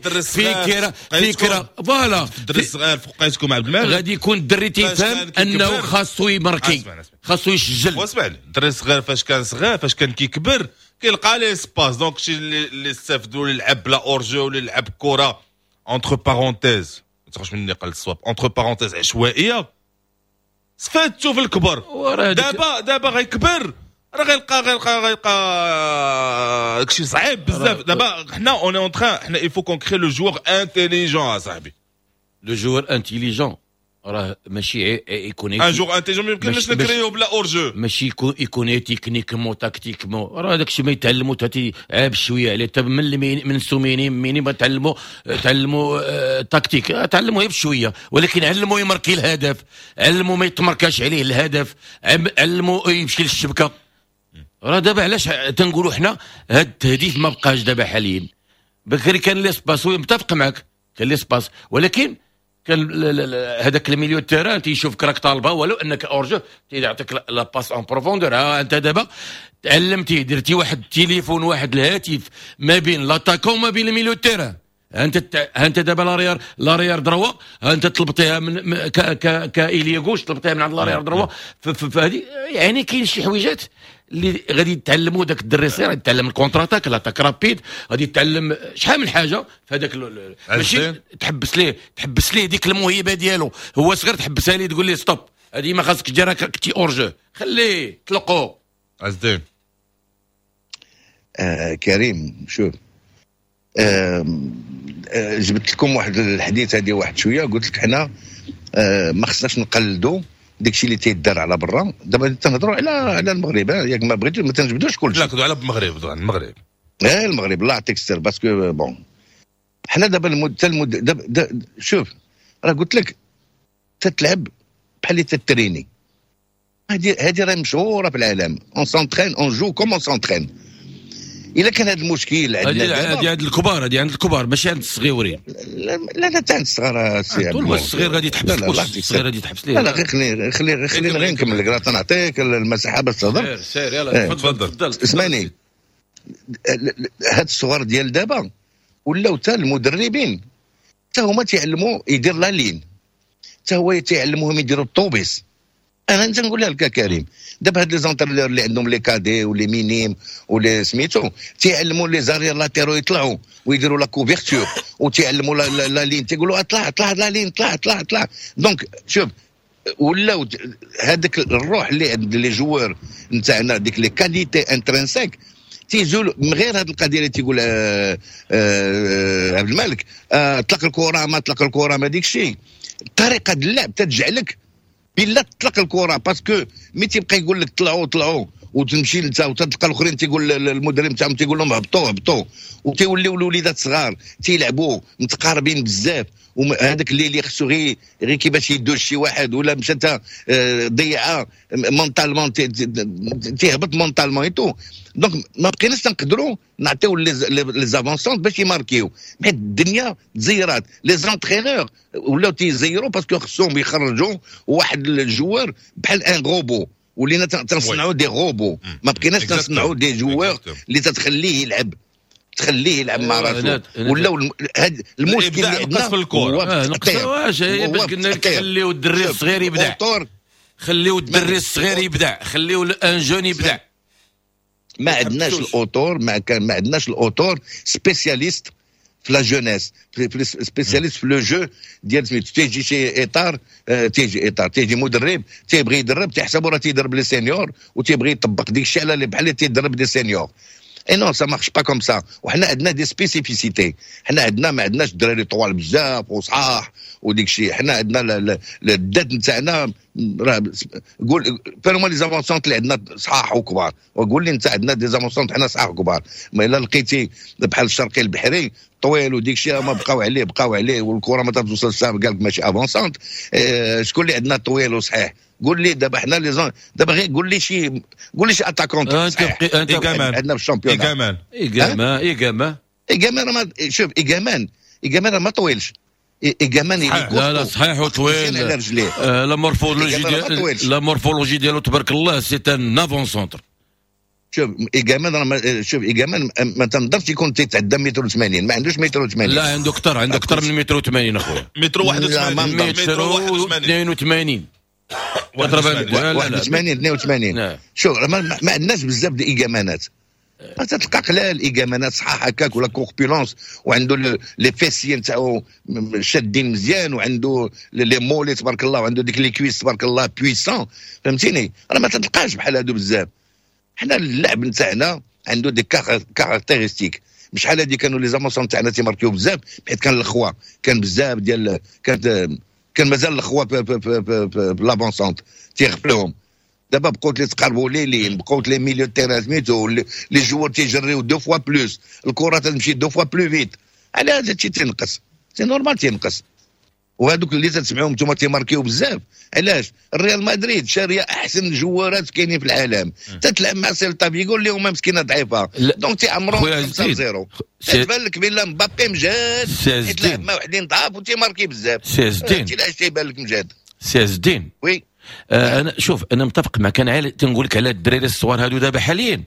فكره voilà. الدري الصغير فوقيتكم عبد المالك غادي يكون الدري تيفهم انه خاصو يماركي، خاصو يسجل. واسمعني، الدري الصغير فاش كان صغير، فاش كان كيكبر كيلقى l'espace، donc شي اللي استافدوا اللي لعب بلا hors-jeu ولا لعب كره entre parenthèses، ما تخرجش مني قال الصواب، entre parenthèses عشوائيه، استفادتو في الكبر. دابا غيكبر راه غيلقى داكشي صعيب بزاف. دابا حنا on est en train، حنا il faut qu'on crée le joueur intelligent اصاحبي. le joueur intelligent راه ماشي يكون un joueur intelligent ما يمكنش نكريو بلا hors-jeu، ماشي يكون techniquement tactiquement، راه داك الشيء ما يتعلموا حتى عاب شوية عليه. حتى من sous-minimes minimes تعلموا تكتيك، تعلموا غير بشويه، ولكن علموا يماركي الهدف، علموا ما يتمركاش عليه الهدف، علموا يمشي للشبكه. راه دابا علاش تنقولوا حنا هاد التهديف ما بقاش دابا حاليا. بكري كان l'espace، متفق معك كان l'espace، ولكن كان هذاك ال milieu terrain تيشوفك راك طالبه ولو انك hors-jeu تيعطيك la passe en profondeur. ها انت دابا تعلمتي درتي واحد التليفون، واحد الهاتف ما بين l'attaquant وما بين ال milieu terrain. انت دابا l'arrière droit، انت طلبتيها من ك ك ك ailier gauche، طلبتيها من عند l'arrière droit. فهذه يعني كاين شي حويجات اللي غادي يتعلموا داك الدري الصغير، غادي يتعلم ال contre-attaque، l'attaque rapide، غادي يتعلم شحال من حاجة في هذاك. ماشي تحبس ليه ديك الموهبة ديالو هو صغير، تحبسها ليه تقول ليه stop، هذه ما خاصك ديرها، كنتي hors-jeu، خليه طلقو. عز الدين. كريم شوف، جبت لكم واحد الحديث هذه واحد شويه، قلت لك حنا ما خصناش نقلدوا داكشي اللي تيدار على برا. دابا تنهضروا على المغرب، ياك ما بغيتو ما تنجبدوش كلشي. لا، كنهضروا على المغرب، على المغرب. ايه المغرب، الله يعطيك السر، parce que bon حنا دابا المد دابا شوف، راه قلت لك تتلعب بحال اللي تتريني، هذه راه مشهورة في العالم، on s'entraîne، on joue comme on s'entraîne. الا كان هذا المشكل عندنا، هذه عند الكبار، هذه عند الكبار ماشي عند الصغيورين. لا لا لا، عند الصغار. سي الصغير غادي تحبس، الصغير غادي تحبس ليه؟ لا لا، غير خليني خليني خليني غير نكمل لك، راه تنعطيك المساحة باش تهضر. سير سير، يلا تفضل تفضل. اسمعني، هاد الصغار ديال دابا ولاو حتى المدربين حتى هما تيعلموا يدير la ligne، حتى هو تيعلموهم يديروا الطوبيس. انا انت نقولها لك كريم، دابا هاد les entraîneurs اللي عندهم les cadets و les minimes ولا سميتو تيعلموا les arrières latéraux يطلعوا ويديروا la couverture، وتيعلموا la ligne، تيقولوا اطلع اطلع la ligne، طلع طلع طلع. donc شوف، ولاو هذاك الروح اللي عند les joueurs نتاعنا، ديك les qualités intrinsèques تيزول. من غير هذه القضية اللي تيقول عبد الملك، طلق الكره ما طلق الكره ما ديك الشيء، طريقه اللعب تجعلك بلا تطلق الكره، parce que mais تيبقى يقول لك طلعوا طلعوا وتمشي انت وتلقى الاخرين تيقول المدرب تاعهم تيقول لهم هبطوا هبطوا، وتيوليو الوليدات صغار تيلعبوا متقاربين بزاف، وهذاك اللي خصو غير كيفاش يدوز شي واحد ولا مشى انت ضيعها mentalement، تيهبط mentalement et tout. donc ما بقيناش نقدروا نعطيو les avant-centres باش يماركيو، حيت الدنيا تزيرات، les entraîneurs ولاو تيزيروا parce que خصهم يخرجوا واحد ال joueur بحال un robot. ولينا تنصنعوا des robots، ما بقيناش تنصنعوا des joueurs اللي تتخليه يلعب. تخليه يلعب مع راسو. ولا هذا المشكل اللي عندنا في الكره نقص، باش قلنا لك خليو الدري الصغير يبدع، خليو الدري الصغير يبدع، خليو un jeune يبدع. ما عندناش الاطر، ما عندناش الاطر spécialistes في la jeunesse، spécialistes في le jeu ديال سميتو. تيجي شي اطار، تيجي اطار، تيجي مدرب تيبغي يدرب، تيحسبوا راه تيدرب les seniors وتيبغي يطبق ديك الشيء على بحال اللي تيدرب des seniors. et non، ça marche pas comme ça. وحنا عندنا des spécificités، حنا عندنا ما عندناش الدراري طوال بزاف وصحاح وديك الشيء. حنا عندنا الذات نتاعنا، راه قول فين les avant-centres اللي عندنا صحاح وكبار؟ وقول لي انت، عندنا des avant-centres حنا صحاح وكبار؟ ما الا لقيتي بحال الشرقي البحري طويل وديك الشيء، ما بقاو عليه، بقاو عليه والكره ما توصلش، قال لك ماشي avant-centre. شكون اللي عندنا طويل وصحيح؟ قول لي دابا حنا les دابا غير قول لي شي attaquant انت عندنا في ال championnat. ايغامان. ايغامان، ايغامان. ايغامان ما شوف، ايغامان، ايغامان ما طويلش ايغامان. لا لا، صحيح وطويل. على رجليه. la morphologie ديالو تبارك الله، c'est un avant-centre. شوف ايغامان راه، شوف ايغامان ما تنظرش يكون تيتعدى متر و80، ما عندوش متر و80. لا، عنده اكثر، عنده اكثر من متر و80 اخويا. متر 81. متر 82. 81، 82. شوف، ما عندناش بزاف ديال الايجامانات، تلقى قلال ايجامانات صحاح هكاك ولا corpulence وعنده les fessiers نتاعو شادين مزيان وعنده les mollets تبارك الله وعنده ديك les cuisses تبارك الله puissants، فهمتيني؟ راه ما تلقاش بحال هادو بزاف. حنا اللعب نتاعنا عنده des caractéristiques. بشحال هادي كانوا les avant-centres تاعنا تيماركيو بزاف حيت كان الخوا، كان بزاف ديال كانت كان مازال الخوا في l'avant-centre تيغفلوهم. دابا بقاو لي تقربوا les lignes، بقاو les milieux terrain سميتو، les joueurs تيجريو deux fois plus، الكره تمشي deux fois plus vite. على هذا الشيء تنقص، c'est normal تينقص. وهذوك اللي تسمعوهم نتوما تيماركيو بزاف، علاش؟ الريال مدريد شاريه احسن جوارات كاينين في العالم، تتلعب مع سيلتا فيغو اللي هما مسكينه ضعيفه، donc تيعمروا 5-0. تبان لك بلا مبابي مجاد، تلعب مع وحدين ضعاف وتيماركي بزاف. سي الدين. علاش تيبان لك مجاد؟ سي الدين. oui. انا شوف، انا متفق معك. انا تنقول لك على الدراري الصغار هادو دابا حاليا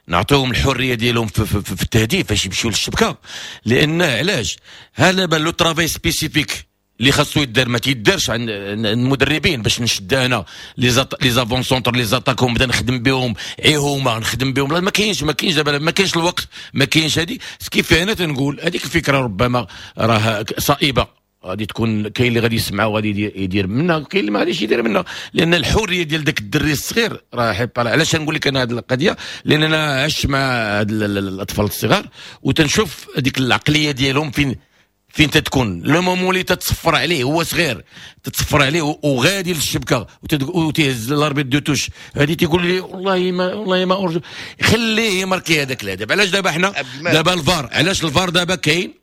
نعطيهم الحرية ديالهم في التهديف باش يمشيو للشبكه، لان علاش؟ هذا le travail spécifique اللي خاصو يدار ما تيدارش عند المدربين، باش نشد انا les avant-centres، les attaquants، نبدا نخدم بهم، اي هما نخدم بهم. لا، ما كاينش دابا، ما كاينش الوقت، ما كاينش هذه. ce qui fait انا تنقول هذيك الفكرة ربما راه صائبه، غادي تكون كاين اللي غادي يسمع وغادي يدير منها، وكاين اللي ما غاديش يدير منها، لان الحرية ديال ذاك الدري الصغير راه. علاش نقول لك انا هذه القضيه؟ لان انا عشت مع هاد الاطفال الصغار وتنشوف هذيك العقلية ديالهم فين تتكون. le moment اللي تتصفر عليه، هو صغير، تتصفر عليه وغادي للشبكه وتهز l'arbitre de touche هذه، تيقول لي والله ما، والله ما hors-jeu. خليه يماركي هذاك الهدف. علاش دابا حنا دابا الفار، علاش الفار دابا كاين؟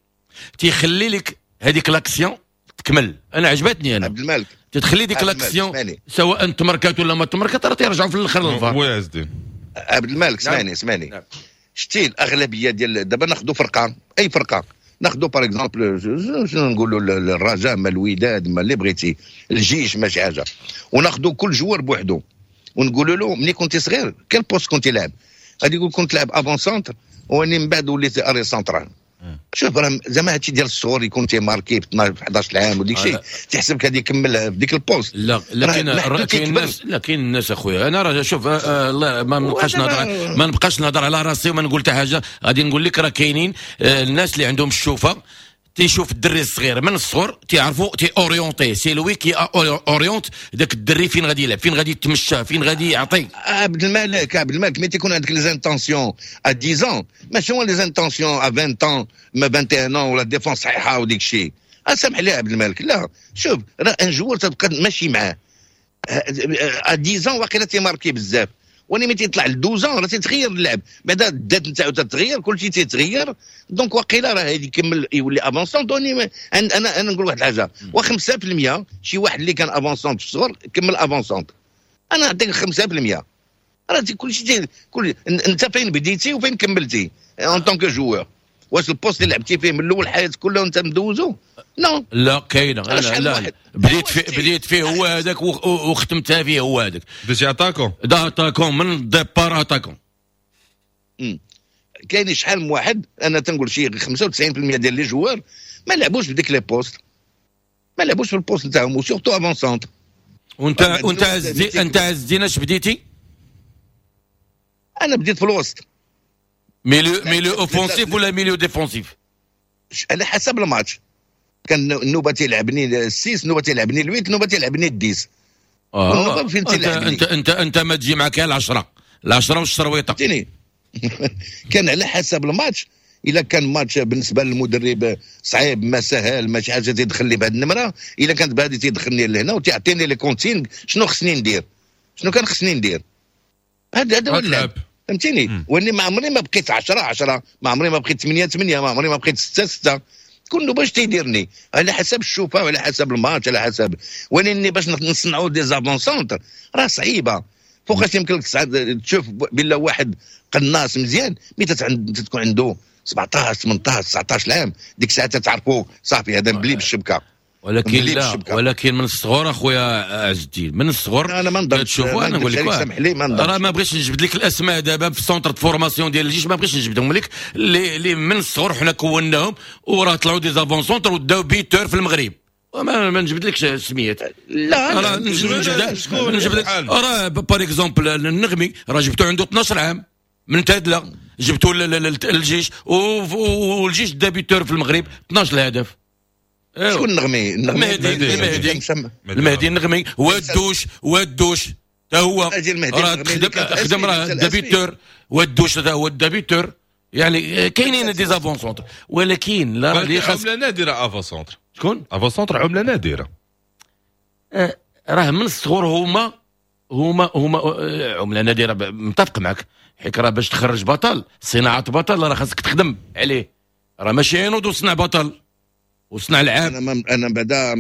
تيخلي لك هذيك l'action تكمل. انا عجبتني انا. عبد الملك. تتخلي ديك l'action، سواء تمركات ولا ما تمركات، راه تيرجعوا في الاخر للفار. oui عز الدين. عبد الملك، اسمعني اسمعني. نعم. شتي الاغلبية ديال دابا، ناخذوا فرقه، اي فرقه ناخذوا، par exemple شنو نقولوا، الرجاء ما الوداد ما اللي بغيتي، الجيش ما شي حاجه، وناخذوا كل joueur بوحدو ونقولوا له ملي كنت صغير quel poste كنت لاعب؟ غادي يقول كنت لاعب avant-centre واني من بعد وليت arrière central. شوف، راه زعما هادشي ديال الصغور يكون تيماركي في 12، في 11 عام وديك الشيء، تحسب غادي يكمل في ديك ال poste. لا لا، كاين الناس، لا، كاين الناس اخويا. انا راه شوف، الله ما نبقاش نهضر على راسي وما نقول حتى حاجه. غادي نقول لك راه كاينين الناس اللي عندهم الشوفه، تيشوف الدري الصغير من الصغر، تيعرفوا تي orienter، c'est lui qui oriente داك الدري فين غادي يلعب، فين غادي يتمشى، فين غادي يعطي. عبد الملك، عبد الملك، mais تيكون عندك les intentions à 10، ماشي هو les intentions à 20، ما 21، ولا défense صحيحه وديك الشيء. سامح لي عبد الملك، لا، شوف، راه un joueur تبقى ماشي معاه à 10 واقيلا تيماركي بزاف، ولكن ملي تيطلع ل 12 راه تيتغير اللعب بعدا، الذات نتاعو تتغير، كلشي تيتغير. donc واقيلا راه هادي يكمل يولي avant-centre. انا نقول واحد الحاجه، و5% شي واحد اللي كان avant-centre في الصغر كمل avant-centre، انا نعطيك 5%. راه كلشي كل انت فين بديتي وفين كملتي en tant que joueur؟ واش ال poste اللي لعبتي فيه من الاول حياتك كلها وانت مدوزو؟ non. لا، كاينه. لا لا، بديت فيه هو هذاك وختمتها فيه هو هذاك. بديتي attaquant. دا attaquant، من ال départ attaquant. كاين شحال من واحد، انا تنقول شي 95% ديال les joueurs ما لعبوش بديك les postes، ما لعبوش في ال poste نتاعهم، و surtout avant-centre. وانت انت عز الدين اش بديتي؟ انا بديت في الوسط. milieu offensif ولا milieu défensif؟ على حسب الماتش. كان النوبة تيلعبني ال six، النوبة تيلعبني ال huit، النوبة تيلعبني ال dix. انت انت انت ما تجي معك العشرة والشرويطه. فهمتيني؟ كان على حسب الماتش. الا كان ماتش بالنسبة للمدرب صعيب ما سهل ما شي حاجة تيدخل لي بهذه النمرة، الا كانت بهذه تيدخلني لهنا وتعطيني les consignes شنو خصني ندير، شنو كان خصني ندير. هذا هو اللعب، فهمتيني؟ واني ما عمري ما بقيت 10 10، ما عمري ما بقيت 8 8، ما عمري ما بقيت 6 6. كله باش تيديرني على حسب الشوفه وعلى حسب الماتش على حسب. ولاني باش نصنعوا des avant-centres راه صعيبة. فوقاش يمكن لك تشوف بلا واحد قناص مزيان mais تكون عنده 17 18 19 عام، ديك الساعة تعرفوا صافي هذا مبلي بالشبكه. ولكن لا، ولكن من الصغر اخويا عز الدين، من الصغر انا ما نضربش. تشوفوا انا نقول لك راه ما بغيتش نجبد لك الاسماء دابا في centre formation ديال الجيش، ما بغيتش نجبدهم لك، اللي من الصغر حنا كوناهم وراه طلعوا des avant-centres وداو buteurs في المغرب. ما نجبدلكش السميات، لا راه نجبد راه par exemple النغمي راه جبتو عنده 12 عام من تادله، جبتو للجيش والجيش دا buteur في المغرب 12 هدف. شكون النغمي؟ المهدي النغمي والدوش تا هو راه خدم راه دا buteur، والدوش تا هو دا buteur. يعني كاينين des avant-centres، ولكن لا راه اللي خاص عمله نادرة avant-centre. شكون avant-centre؟ عمله نادرة. راه من الصغر هما هما هما عمله نادرة، متفق معك، حيت راه باش تخرج بطل، صناعة بطل راه خاصك تخدم عليه، راه ماشي ينوض وصنع بطل وصنع العاب. انا بعدا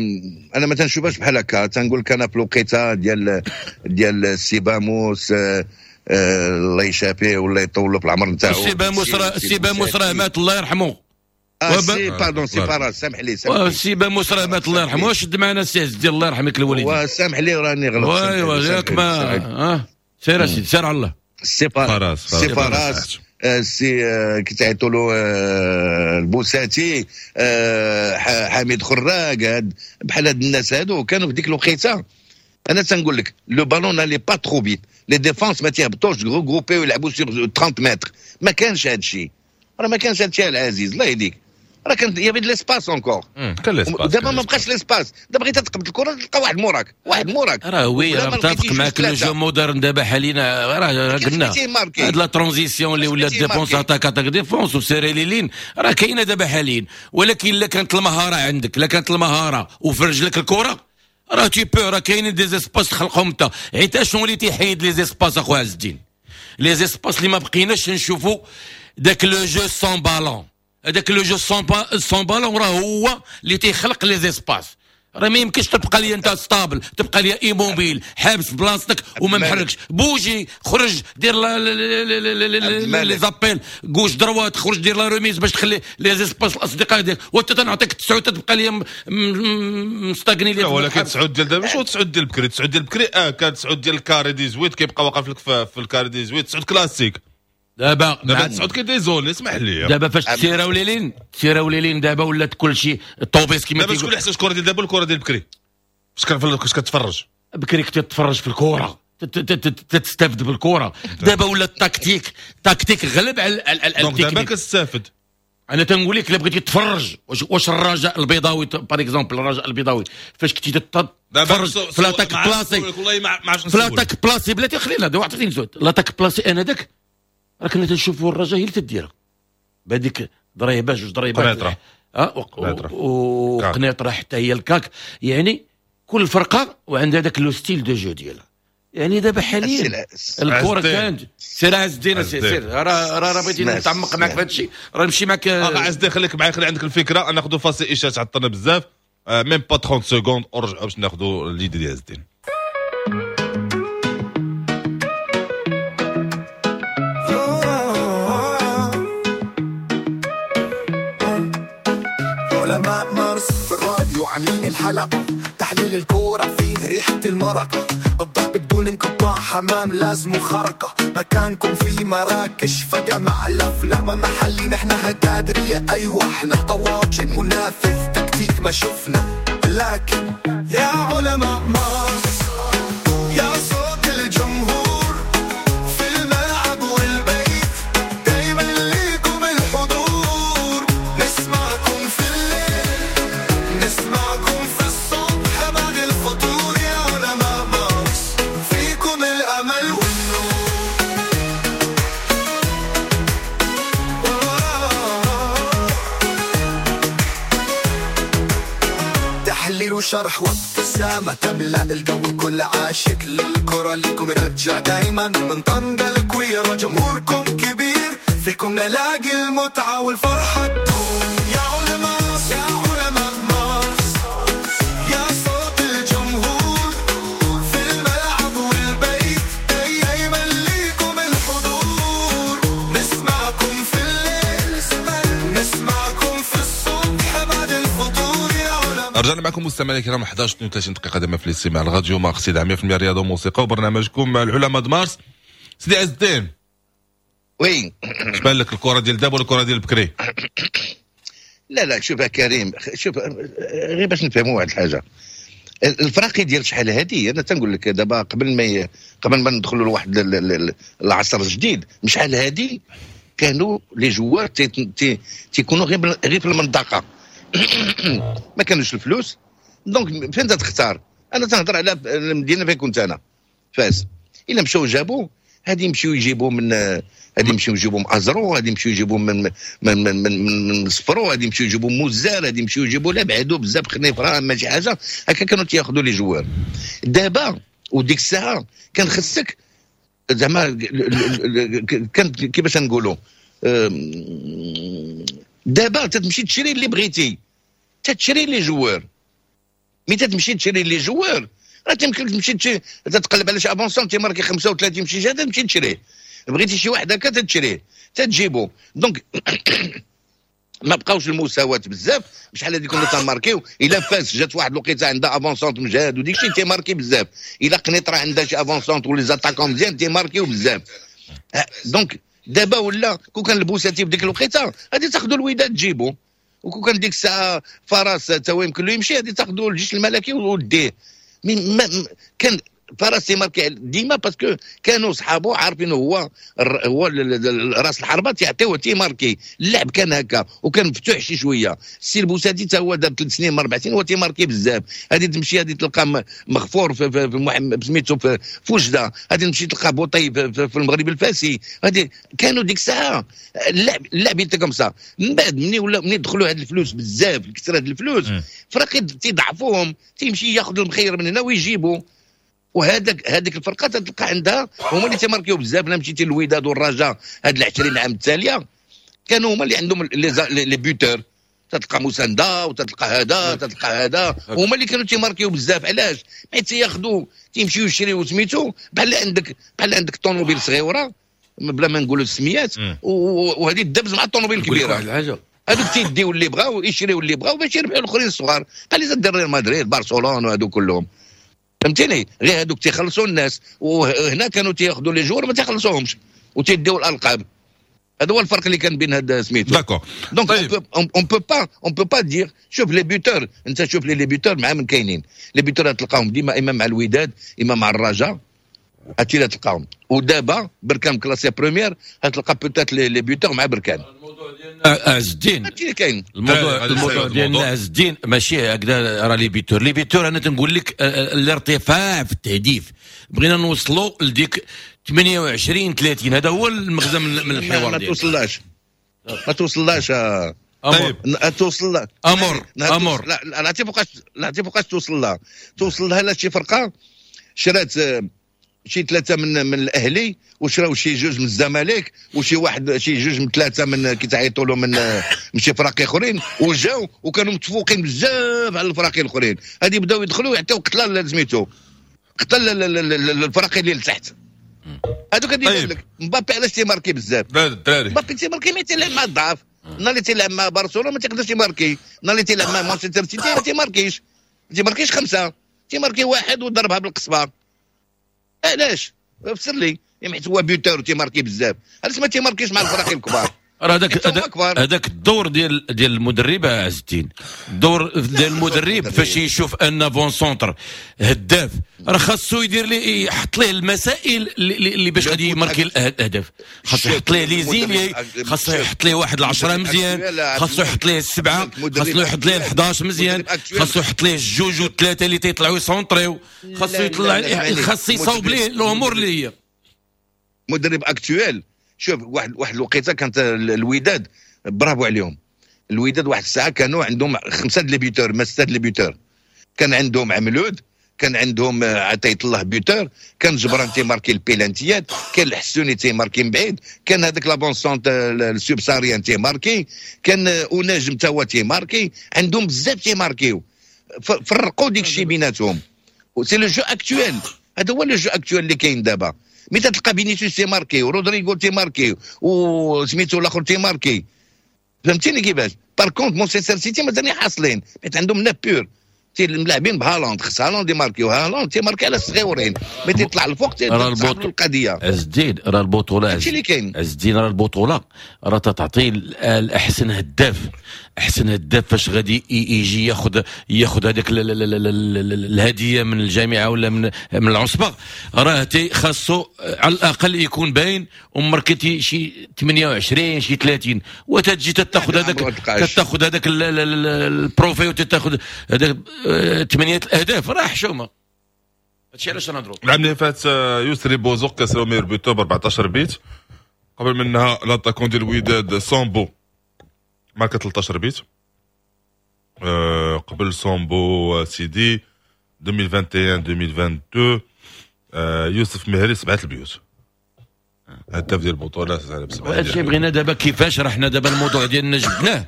انا ما تنشوفهاش بحال هكا، تنقول لك انا في الوقيته ديال السيباموس الله يشافيه ولا يطول في العمر نتاعو. السيباموس راه مات الله يرحمه. سي pardon سي فراس، سامح لي السيباموس راه مات الله يرحمه. شد معنا السي عز الدين الله يرحمك الوالدين. وسامح لي راني غلطت. ايوا ياك ما سير اسيدي، سير على الله. سي فراس، سي فراس، السي كي تعيطوا له البوساتي، حميد خراق، بحال هاد الناس هادو كانوا في ديك الوقيته. انا تنقول لك le ballon n'allait pas trop vite، les défenses ما تيهبطوش regroupés ويلعبوا sur 30 متر، ما كانش هاد الشيء، راه ما كانش هاد الشيء العزيز الله يهديك. راه كان y avait de l'espace encore، كان l'espace. دابا ما بقاش l'espace، دابا بغيتي تقبض الكره تلقى واحد موراك، واحد موراك. راه oui، راه متفق معاك le jeu moderne دابا حاليا، راه قلنا هاد la transition اللي ولات défense attaque attaque défense و serrer les lignes راه كاينه دابا حاليا. ولكن الا كانت المهارة عندك، الا كانت المهارة وفي رجلك الكره راه tu peux، راه كاينين des espaces تخلقهم انت. حيت شنو اللي تيحيد les espaces اخويا عز الدين؟ les espaces اللي ما بقيناش نشوفوا داك le jeu sans ballon، هذاك le jeu sans ballon راه هو اللي تيخلق les espaces. راه ما يمكنش تبقى لي انت stable، تبقى لي immobile حابس بلاصتك وما محركش. bouger، خرج دير les appels gauche droite، خرج دير la remise باش تخلي les espaces الاصدقاء ديالك. وانت تنعطيك تسعود تبقى لي مستغني لي. ولكن تسعود ديال دابا ماشي تسعود ديال بكري، تسعود ديال بكري كان تسعود ديال ال carré dix-huit كيبقى واقف لك في ال carré dix-huit، تسعود كلاسيك. دابا تسعود كي désolé اسمح لي. دابا فاش تسيراو les lignes، تسيراو les lignes دابا ولات كلشي الطوبيس كيما دابا. شكون احسن الكره ديال دابا الكره ديال بكري؟ فاش كتفرج بكري كنت تتفرج في الكره تستافد بالكرة. دابا ولا ال tactique، tactique غلب على التكنيك. دابا كتستافد. انا تنقول لك الا بغيتي تتفرج واش الرجاء البيضاوي par exemple، الرجاء البيضاوي فاش كنتي تتفرج في l'attaque placée، في l'attaque placée بلاتي خلينا دابا عطيني زود l'attaque placée. انا داك راه كنا تنشوفوا الرجاء هي اللي تديرها بهذيك ضريبة جوج ضريبات وقنيطره حتى هي الكاك. يعني كل فرقه وعندها داك le style de jeu ديالها. يعني دابا حاليا الكره كانت سير عز الدين، سير راه راه بغيتي نتعمق معك في هذا الشيء راه نمشي معك. عز الدين خليك معايا، خلي عندك الفكرة. ناخذوا فاصل اشارة تعطلنا بزاف، même pas 30 secondes ورجعوا باش ناخذوا l'idée ديال عز الدين. علماء مارس في الراديو عاملين الحلقة. تحليل الكورة فيه ريحة المرقة، الضرب بدون انقطاع، حمام لازم خرقة، مكانكم في مراكش فجمع الأفلام محلي، نحن هتادرية أيوة احنا طواجن منافذ تكتيك ما شفنا، لكن يا علماء مارس يا صوت الجمهور في الملعب والبيت، دايما ليكم الحضور، نسمعكم في الليل نسمعكم في الصبح بعد الفطور، يا علماء مارس فيكم الأمل والنور. تحليل وشرح وابتسامة تملأ الجو، كل عاشق للكرة ليكم يرجع دايما، من طنجة الكويرة جمهوركم كبير، فيكم نلاقي المتعة والفرحة تدوم. يا علماء يا علماء مارس يا صوت الجمهور في الملعب والبيت، دايما ليكم الحضور، نسمعكم في الليل نسمعكم في الصبح بعد الفطور، يا علماء. رجعنا معكم مستمعينا الكرام 11:32 دقيقة دائما في الاستماع الراديو مارس 100% رياضة وموسيقى وبرنامجكم العلماء مارس. سيدي عز الدين، oui، اش بان لك الكرة ديال دابا ولا الكرة ديال بكري؟ لا لا شوف يا كريم، شوف غير باش نفهموا واحد الحاجة، الفراقي ديال شحال هادي، انا تنقول لك دابا قبل ما ندخلوا لواحد العصر الجديد، شحال هادي كانوا les joueurs تيكونوا غير في المنطقة، ما كانوش الفلوس، donc فين تختار؟ انا تنهضر على المدينة فين كنت انا، فاس. الا مشاو جابوا هادي يمشيو يجيبوا من هادي يمشيو يجيبوا من ازرو، هادي يمشيو يجيبوا من من من من, من صفرو، هادي يمشيو يجيبوا موزار، هادي يمشيو يجيبوا لا بعدو بزاف خنيفره ما شي حاجة هكا كانوا تياخذوا les joueurs. دابا وديك الساعة كان خصك زعما كان كيفاش نقولوا، دابا تتمشي تشري اللي بغيتي، تتشري les joueurs، mais تتمشي تشري les joueurs راه تيمكن تمشي تتقلب على شي avant-centre تيماركي 35 شي جهة تمشي تشريه، بغيتي شي واحد هكا تتشريه تتجيبو. donc ما بقاوش المساواة بزاف، شحال هادي كنا تنماركيو، الا فاس جات واحد الوقيته عندها avant-centre مجهد وديك الشيء تيماركي بزاف، الا قنيطره عندها شي avant-centre و les attaquants مزيان تيماركيو بزاف. donc دابا ولا كون كان البوساتي بديك الوقيته غادي تاخذوا الوداد تجيبو، وكون كان ديك الساعة فراس تا هو يمكن له يمشي غادي تاخذوا الجيش الملكي وديه. mais كان فراس تيماركي ديما parce que كانوا صحابو عارفين هو راس الحربة تيعطيوه تيماركي، اللعب كان هكا وكان مفتوح شي شوية. السي البوساتي تا هو دار 3 سنين 4 سنين هو تيماركي بزاف، غادي تمشي غادي تلقى مغفور في سميتو في وجده، غادي تمشي تلقى بوطي في المغرب الفاسي، غادي كانوا ديك الساعة اللعب était comme ça. من بعد ملي دخلوا هاد الفلوس بزاف، كثر هاد الفلوس فراقي تيضعفوهم، تيمشي ياخذ المخير من هنا ويجيبوا، وهذاك هذيك الفرقة تلقى عندها هما اللي تيماركيو بزاف. لا مشيتي للوداد والرجاء هاد 20 عام التالية كانوا هما اللي عندهم les buteurs، تتلقى مساندة وتتلقى هذا تتلقى هذا، هما اللي كانوا تيماركيو بزاف. علاش؟ حيت تياخذوا تيمشيو يشريو سميتو بحال عندك طوموبيل صغيرة بلا ما نقولوا السميات، وهذه الدبز مع الطوموبيل الكبيرة، هذوك تيديو اللي بغاو يشريو اللي بغاو باش يربحوا الاخرين الصغار، بحال اللي دار ريال مدريد برشلونة وهذو كلهم، فهمتيني؟ غير هذوك تيخلصوا الناس، وهنا كانوا تياخذوا les joueurs ما تيخلصوهمش وتيديو الالقاب. هذا هو الفرق اللي كان بين هذا سميتو. d'accord. donc on peut pas on peut pas dire شوف les buteurs، انت شوف les buteurs مع من كاينين les buteurs، تلقاهم ديما اما مع الوداد اما مع الرجاء، هادشي اللي تلقاهم. ودابا بركان classé premier، غتلقى peut-être les buteurs مع بركان. عز الدين هادشي اللي كاين. الموضوع ديالنا عز الدين ماشي هكذا، راه les buteurs les buteurs انا تنقول لك الارتفاع في التهديف، بغينا نوصلوا لديك 28 30، هذا هو المغزى من الحوار ما توصلهاش، ما توصلهاش. طيب توصل لها امر امر لا لا تيبقاش، لا تيبقاش توصل لها، توصل لها لا شي فرقه شرات شي 3 من الاهلي، وشراو شي 2 من الزمالك، وشي واحد شي 2 من 3 من كيتعيطوا له من شي فراقي اخرين، وجاو وكانوا متفوقين بزاف على الفراقي الاخرين. هادي بداو يدخلوا يعطيو قتله سميتو قتل الفراقي اللي لتحت. هادوك غادي يقول لك مبابي علاش تيماركي بزاف؟ مبابي تيماركي mais تيلعب مع الضعف، نهار اللي تيلعب مع برشلونة ما تيقدرش يماركي، نهار اللي تيلعب مع مانشستر سيتي ما تيماركيش، ما تيماركيش 5. تيماركي واحد وضربها بالقصبه. علاش؟ فسر لي، حيت هو buteur وتيماركي بزاف، علاش ما تيماركيش مع الفرق الكبار؟ راه هذاك الدور ديال المدرب عز الدين، الدور ديال المدرب فاش يشوف ان avant-centre هداف راه خاصو يدير ليه، يحط ليه المسائل اللي باش غادي يماركي الاهداف. خاصو يحط ليه les ailiers، خاصو يحط ليه واحد 10 مزيان، خاصو يحط ليه 7، خاصو يحط ليه 11 مزيان، خاصو يحط ليه 2 و3 اللي تيطلعوا يسونطريو، خاصو يطلع، خاصو يصاوب ليه الامور اللي هي مدرب actuel. شوف واحد الوقيته كانت الوداد، برافو عليهم الوداد، واحد الساعة كانوا عندهم 5 les buteurs، ما 6 les buteurs. كان عندهم عملود، كان عندهم عطية الله buteur، كان جبران تيماركي البيلانتيات، كان الحسوني تيماركي من بعيد، كان هذاك l'avant-centre ال subsaharien تيماركي، كان وناجم تا هو تيماركي. عندهم بزاف تيماركيو، فرقوا ديك الشيء بيناتهم. c'est le jeu actuel، هذا هو le jeu actuel اللي كاين دابا. mais تلقى فينيسيوس تيماركي ورودريغو تيماركي وسميتو الاخر تيماركي، فهمتيني كيفاش؟ par contre مانشستر سيتي مازال حاصلين، حيت عندهم neuf pur الملاعبين بهالاند، خص هالاند يماركي، وهالاند تيماركي على الصغيورين، mais تيطلع الفوق تيصعب القضية. عز الدين راه البطولة، هادشي اللي كاين. عز الدين راه البطولة راه تعطي الاحسن هداف، احسن هداف فاش غادي يجي ياخذ هذيك الهدية من الجامعة ولا من العصبة، راه خاصو على الاقل يكون باين وماركيتي شي 28 شي 30، وتجي تاخذ هذاك، تاخذ هذاك ال trophée وتاخذ هذاك 8 الاهداف، راه حشومه. هادشي علاش نهضروا. العام اللي فات يسري بوزوق كاس meilleur buteur ب 14 بيت، قبل منها l'attaquant ديال الوداد سامبو ماركا 13 بيت، قبل سامبو سيدي 2021 2022 يوسف مهري 7 البيوت، هداف ديال البطولة. هادشي بغينا دابا كيفاش، راه حنا دابا الموضوع ديالنا جبناه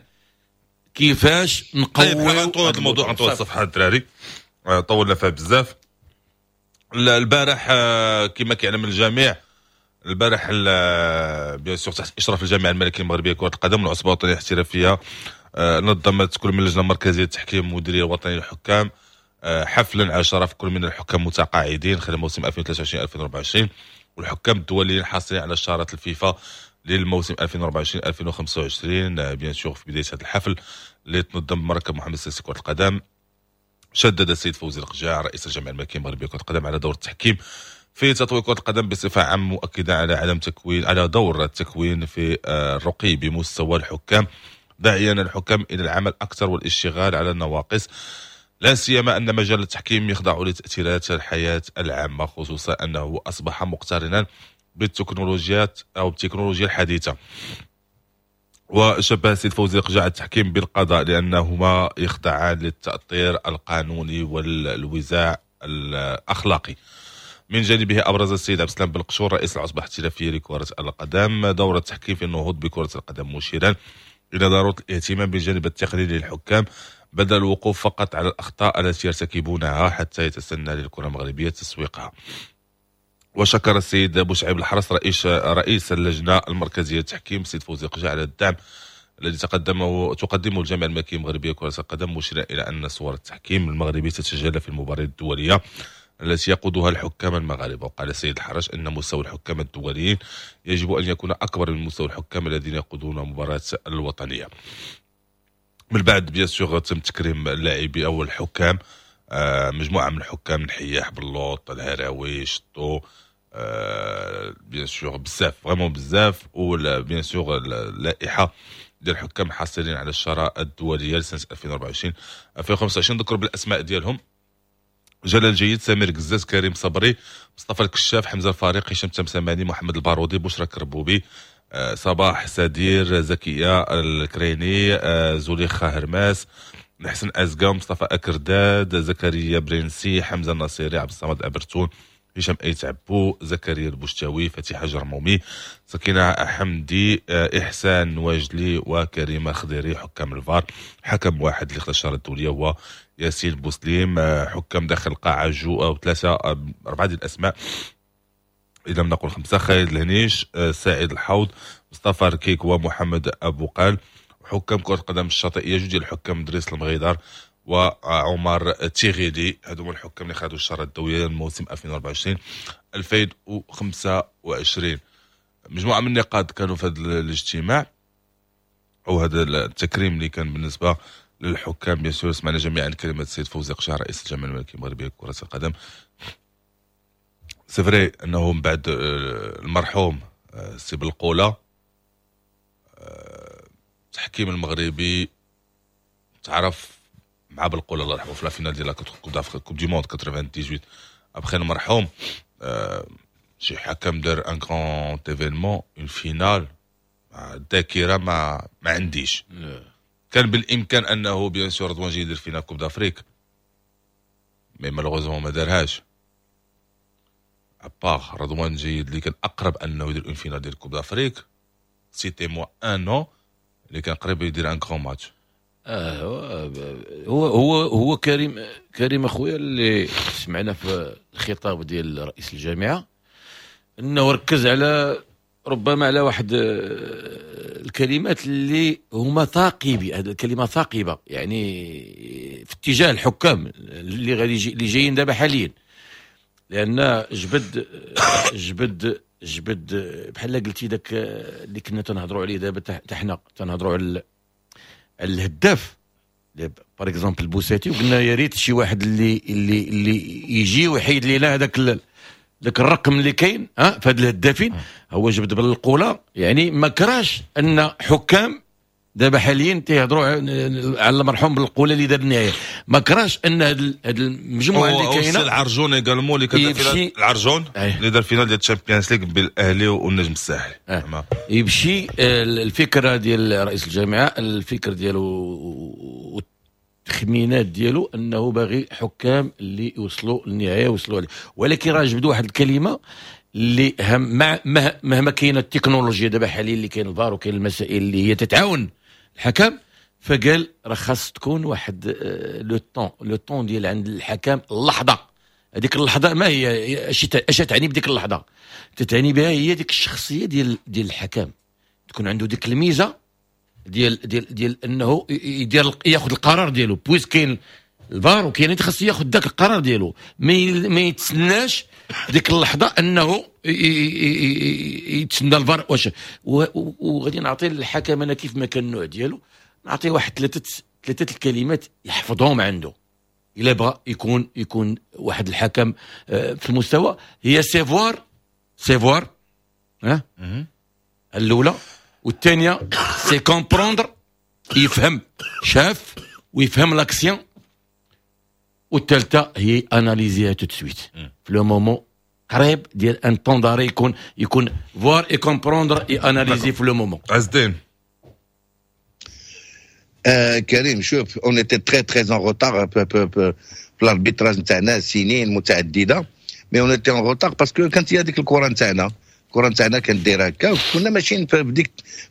كيفاش نقويو هذا الموضوع. نطول الصفحة الدراري، طولنا فيها بزاف. البارح كما كيعلم الجميع، البارح bien sûr تحت اشراف الجامعة الملكية المغربية لكرة القدم والعصبه الوطنية الاحترافية، نظمت كل من اللجنة المركزية للتحكيم والمديريه الوطنية للحكام حفلا على شرف كل من الحكام المتقاعدين خلال موسم 2023 2024 والحكام الدوليين الحاصلين على شارة الفيفا للموسم 2024 2025. bien sûr في بداية هذا الحفل اللي تنظم بمركب محمد السادس كره القدم، شدد السيد فوزي القجاع رئيس الجامعة الملكية المغربية لكرة القدم على دور التحكيم في تطوير كرة القدم بصفة عامة، مؤكدا على عدم تكوين على دور التكوين في الرقي بمستوى الحكام، داعيا الحكام إلى العمل أكثر والاشتغال على النواقص، لا سيما أن مجال التحكيم يخضع لتأثيرات الحياة العامة، خصوصا أنه أصبح مقترنا بالتكنولوجيات أو بالتكنولوجيا الحديثة. وشبه السيد فوزي القجاع التحكيم بالقضاء لأنهما يخضعان للتأطير القانوني والوزاع الأخلاقي. من جانبه أبرز السيد عبد السلام بالقشور رئيس العصبة الاحترافية لكرة القدم دور التحكيم في النهوض بكرة القدم، مشيرا إلى ضرورة الاهتمام بالجانب التقني للحكام بدل الوقوف فقط على الأخطاء التي يرتكبونها حتى يتسنى للكرة المغربية تسويقها. وشكر السيد بوشعيب الحرس رئيس اللجنة المركزية للتحكيم السيد فوزي القجاع على الدعم الذي تقدمه الجامعة الملكية المغربية لكرة القدم، مشيرا إلى أن صور التحكيم المغربي تتجلى في المباريات الدولية التي يقودها الحكام المغاربة. وقال السيد الحرش أن مستوى الحكام الدوليين يجب أن يكون أكبر من مستوى الحكام الذين يقودون المباراة الوطنية. من بعد bien sûr تم تكريم اللاعبي أو الحكام، مجموعة من الحكام الحياح بلوط الهراوي شطو، bien sûr بزاف vraiment بزاف، و bien sûr اللائحة ديال الحكام الحاصلين على الشراء الدولية لسنة 2024 2025 ذكروا بالأسماء ديالهم: جلال جيد، سمير قزاز، كريم صبري، مصطفى الكشاف، حمزة الفارق، هشام تمسماني، محمد البارودي، بشرى كربوبي، صباح سدير، زكية الكريني، زليخة هرماس، حسن أزقا، مصطفى أكرداد، زكريا برنسي، حمزة النصيري، عبد الصمد أبرتون، هشام أيت عبو، زكريا البشتاوي، فتيحة جرمومي، سكينة حمدي، إحسان واجلي، وكريمة خضيري. حكام الفار حكم واحد اللي خدا الشارة الدولية هو ياسين بوسليم. حكام داخل القاعة جو أو ثلاثة أربعة ديال الأسماء إذا لم نقل خمسة: خالد الهنيش، سعيد الحوض، مصطفى ركيك، ومحمد أبو قال. حكام كرة القدم الشاطئية جوج ديال الحكام: دريس المغيدر وعمر تيغيدي. هادو هما الحكام اللي خدوا الشارة الدولية للموسم 2024 2025. مجموعة من النقاط كانوا في هذا الاجتماع او هذا التكريم اللي كان بالنسبة للحكام. bien sûr سمعنا جميعا كلمة السيد فوزي قشع، رئيس الجامعة الملكية المغربية لكرة القدم. c'est vrai انه من بعد المرحوم السي بالقوله، التحكيم المغربي تعرف مع بالقوله الله يرحمه في la finale ديال la coupe d'Afrique، coupe du monde 98. après المرحوم، شي حكم دار un grand événement، une finale، الذاكرة ما عنديش. كان بالامكان انه bien sûr رضوان يدير finale coupe d'Afrique، mais malheureusement ما دارهاش. à part رضوان جيد اللي كان اقرب انه يدير une finale ديال coupe d'Afrique، citez-moi un nom اللي كان قريب يدير un grand match. آه هو هو هو كريم، كريم اخويا، اللي سمعنا في الخطاب ديال رئيس الجامعة انه ركز على ربما على واحد الكلمات اللي هما ثاقبه، هذه الكلمة ثاقبه، يعني في اتجاه الحكام اللي غادي اللي جايين دابا حاليا، لان جبد بحال قلتي داك اللي كنا تنهضروا عليه دابا، حنا تنهضروا على الهداف par exemple البوساتي، وقلنا يا ريت شي واحد اللي يجي ويحيد لنا هذاك ذاك الرقم اللي كاين ها في هاد الهدافين. هو جبد بالقوله، يعني ما كراش ان حكام دابا حاليا تيهضروا على المرحوم بالقوله اللي دار النهايه، ما كراش ان هاد المجموعة اللي كاينه. العرجون également اللي كان، العرجون اللي دار finale ديال ال Champions League بالاهلي والنجم الساحلي. يمشي الفكرة ديال رئيس الجامعه، الفكر ديالو التخمينات ديالو انه باغي حكام اللي يوصلوا للنهايه، يوصلوا عليه. ولكن راه جبدوا واحد الكلمة اللي هم مع مهما كاينه التكنولوجيا دابا حاليا، اللي كاين الفار وكاين المسائل اللي هي تتعاون الحكم، فقال راه خاص تكون واحد le temps ديال عند الحكم، اللحظه، هذيك اللحظة ما هي؟ اش تعني بديك اللحظه؟ تتعني بها هي ديك الشخصية ديال الحكم، تكون عنده ديك الميزة ديال انه يدير ياخذ القرار ديالو، puisque كاين الفار وكاين، خاص ياخذ ذاك القرار ديالو، ما يتسناش ديك اللحظة انه يتسنى الفار. واش وغادي نعطي للحكم انا كيف ما كان النوع ديالو، نعطيه واحد ثلاثه الكلمات يحفظهم عنده الا بغى يكون واحد الحكم في المستوى، هي c'est voir، c'est voir ها الاولى، والثانية c'est comprendre، يفهم، شاف ويفهم l'action، والثالثة هي analyser tout de suite في le moment قريب ديال un temps d'arrêt، يكون voir et comprendre et analyser في le moment. عز الدين. كريم، شوف، on était très très en retard في l'arbitrage نتاعنا سنين متعدده، mais on était en retard parce que كانت هي هذيك الكره نتاعنا، الكره نتاعنا كانت دايرة هكا، كنا ماشيين في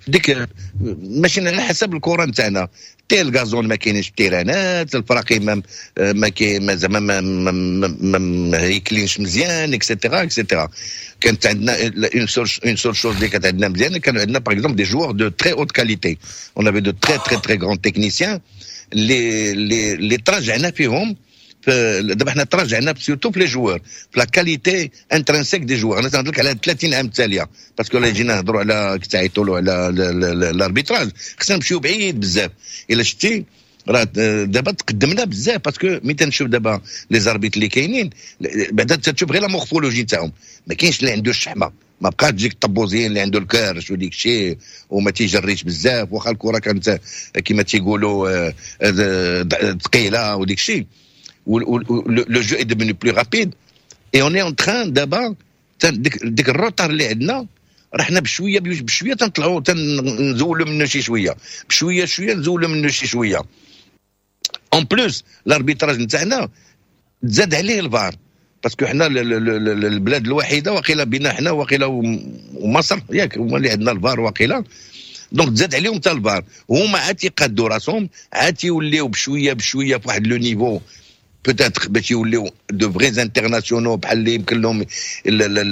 ديك ماشيين على حسب الكره نتاعنا. تي ال gazon ما كاينش في التيرانات، الفراقي ما كاين، ما زعما ما هيكلينش مزيان، et cetera et cetera. كانت عندنا une seule chose اللي كانت عندنا مزيان، كانوا عندنا par exemple des joueurs de très haute qualité، on avait de très très très grands techniciens اللي تراجعنا فيهم. دابا حنا تراجعنا surtout في les joueurs، في la qualité intrinsèque des joueurs. انا تنهضر لك على 30 عام التاليه، parce que جينا نهضروا على تعيطوا له على l'arbitrage خصنا نمشيو بعيد بزاف. الا شتي راه دابا تقدمنا بزاف، parce que ملي تنشوف دابا les arbitres اللي كاينين، بعدا تشوف غير la morphologie تاعهم، ما كاينش اللي عنده الشحمه، ما بقاش ديك الطبوزين اللي عنده الكرش وديك الشيء وما تيجريش بزاف، واخا الكره كانت كما تيقولوا ثقيلة وديك الشيء. le jeu est devenu plus rapide et on est en train دابا ديك ال retard اللي عندنا راه حنا بشوية بشوية تنطلعوا، تنزولوا منه شي شويه، بشوية شوية نزولوا منه شي شويه. en plus l'arbitrage نتاعنا تزاد عليه الفار، parce que حنا البلاد الوحيدة وقيله بينا حنا وقيله ومصر، ياك، هما اللي عندنا الفار وقيله. donc تزاد عليهم حتى الفار، وهما عاد تيقادوا راسهم، عاد تيوليو بشوية بشوية في واحد le niveau peut-être باش يوليو de vrais internationaux بحال اللي يمكن لهم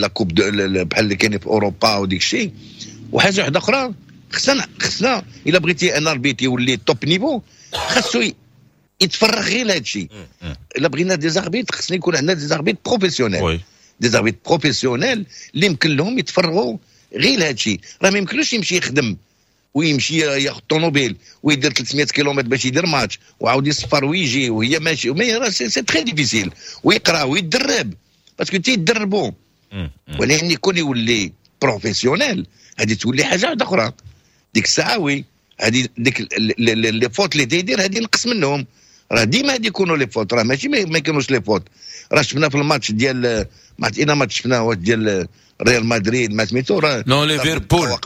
la coupe بحال اللي كاين في اوروبا وديك الشيء. وحاجه واحدة اخرى، خصنا الا بغيتي un arbitre يولي top niveau خاصو يتفرغ غير لهذا الشيء. الا بغينا des arbitres خصني يكون عندنا des arbitres professionnels، des arbitres professionnels اللي يمكن لهم يتفرغوا غير لهذا الشيء. راه ما يمكنلوش يمشي يخدم ويمشي ياخذ طوموبيل ويدير 300 كيلومتر باش يدير ماتش وعاود يسفر ويجي وهي ماشي، mais راه c'est très difficile، ويقرا ويتدرب parce que تيدربوا. ولكن يكون يولي professionnel هذه تولي حاجة واحدة اخرى ديك الساعه. oui، هذه ديك les fautes اللي تيدير هذه نقص منهم. راه ديما هادي يكونوا les fautes، راه ماشي ما يكونوش les fautes. راه شفنا في الماتش ديال ما عرفت اين ماتش شفناه ديال ريال مدريد ما سميتو راه non، ليفربول،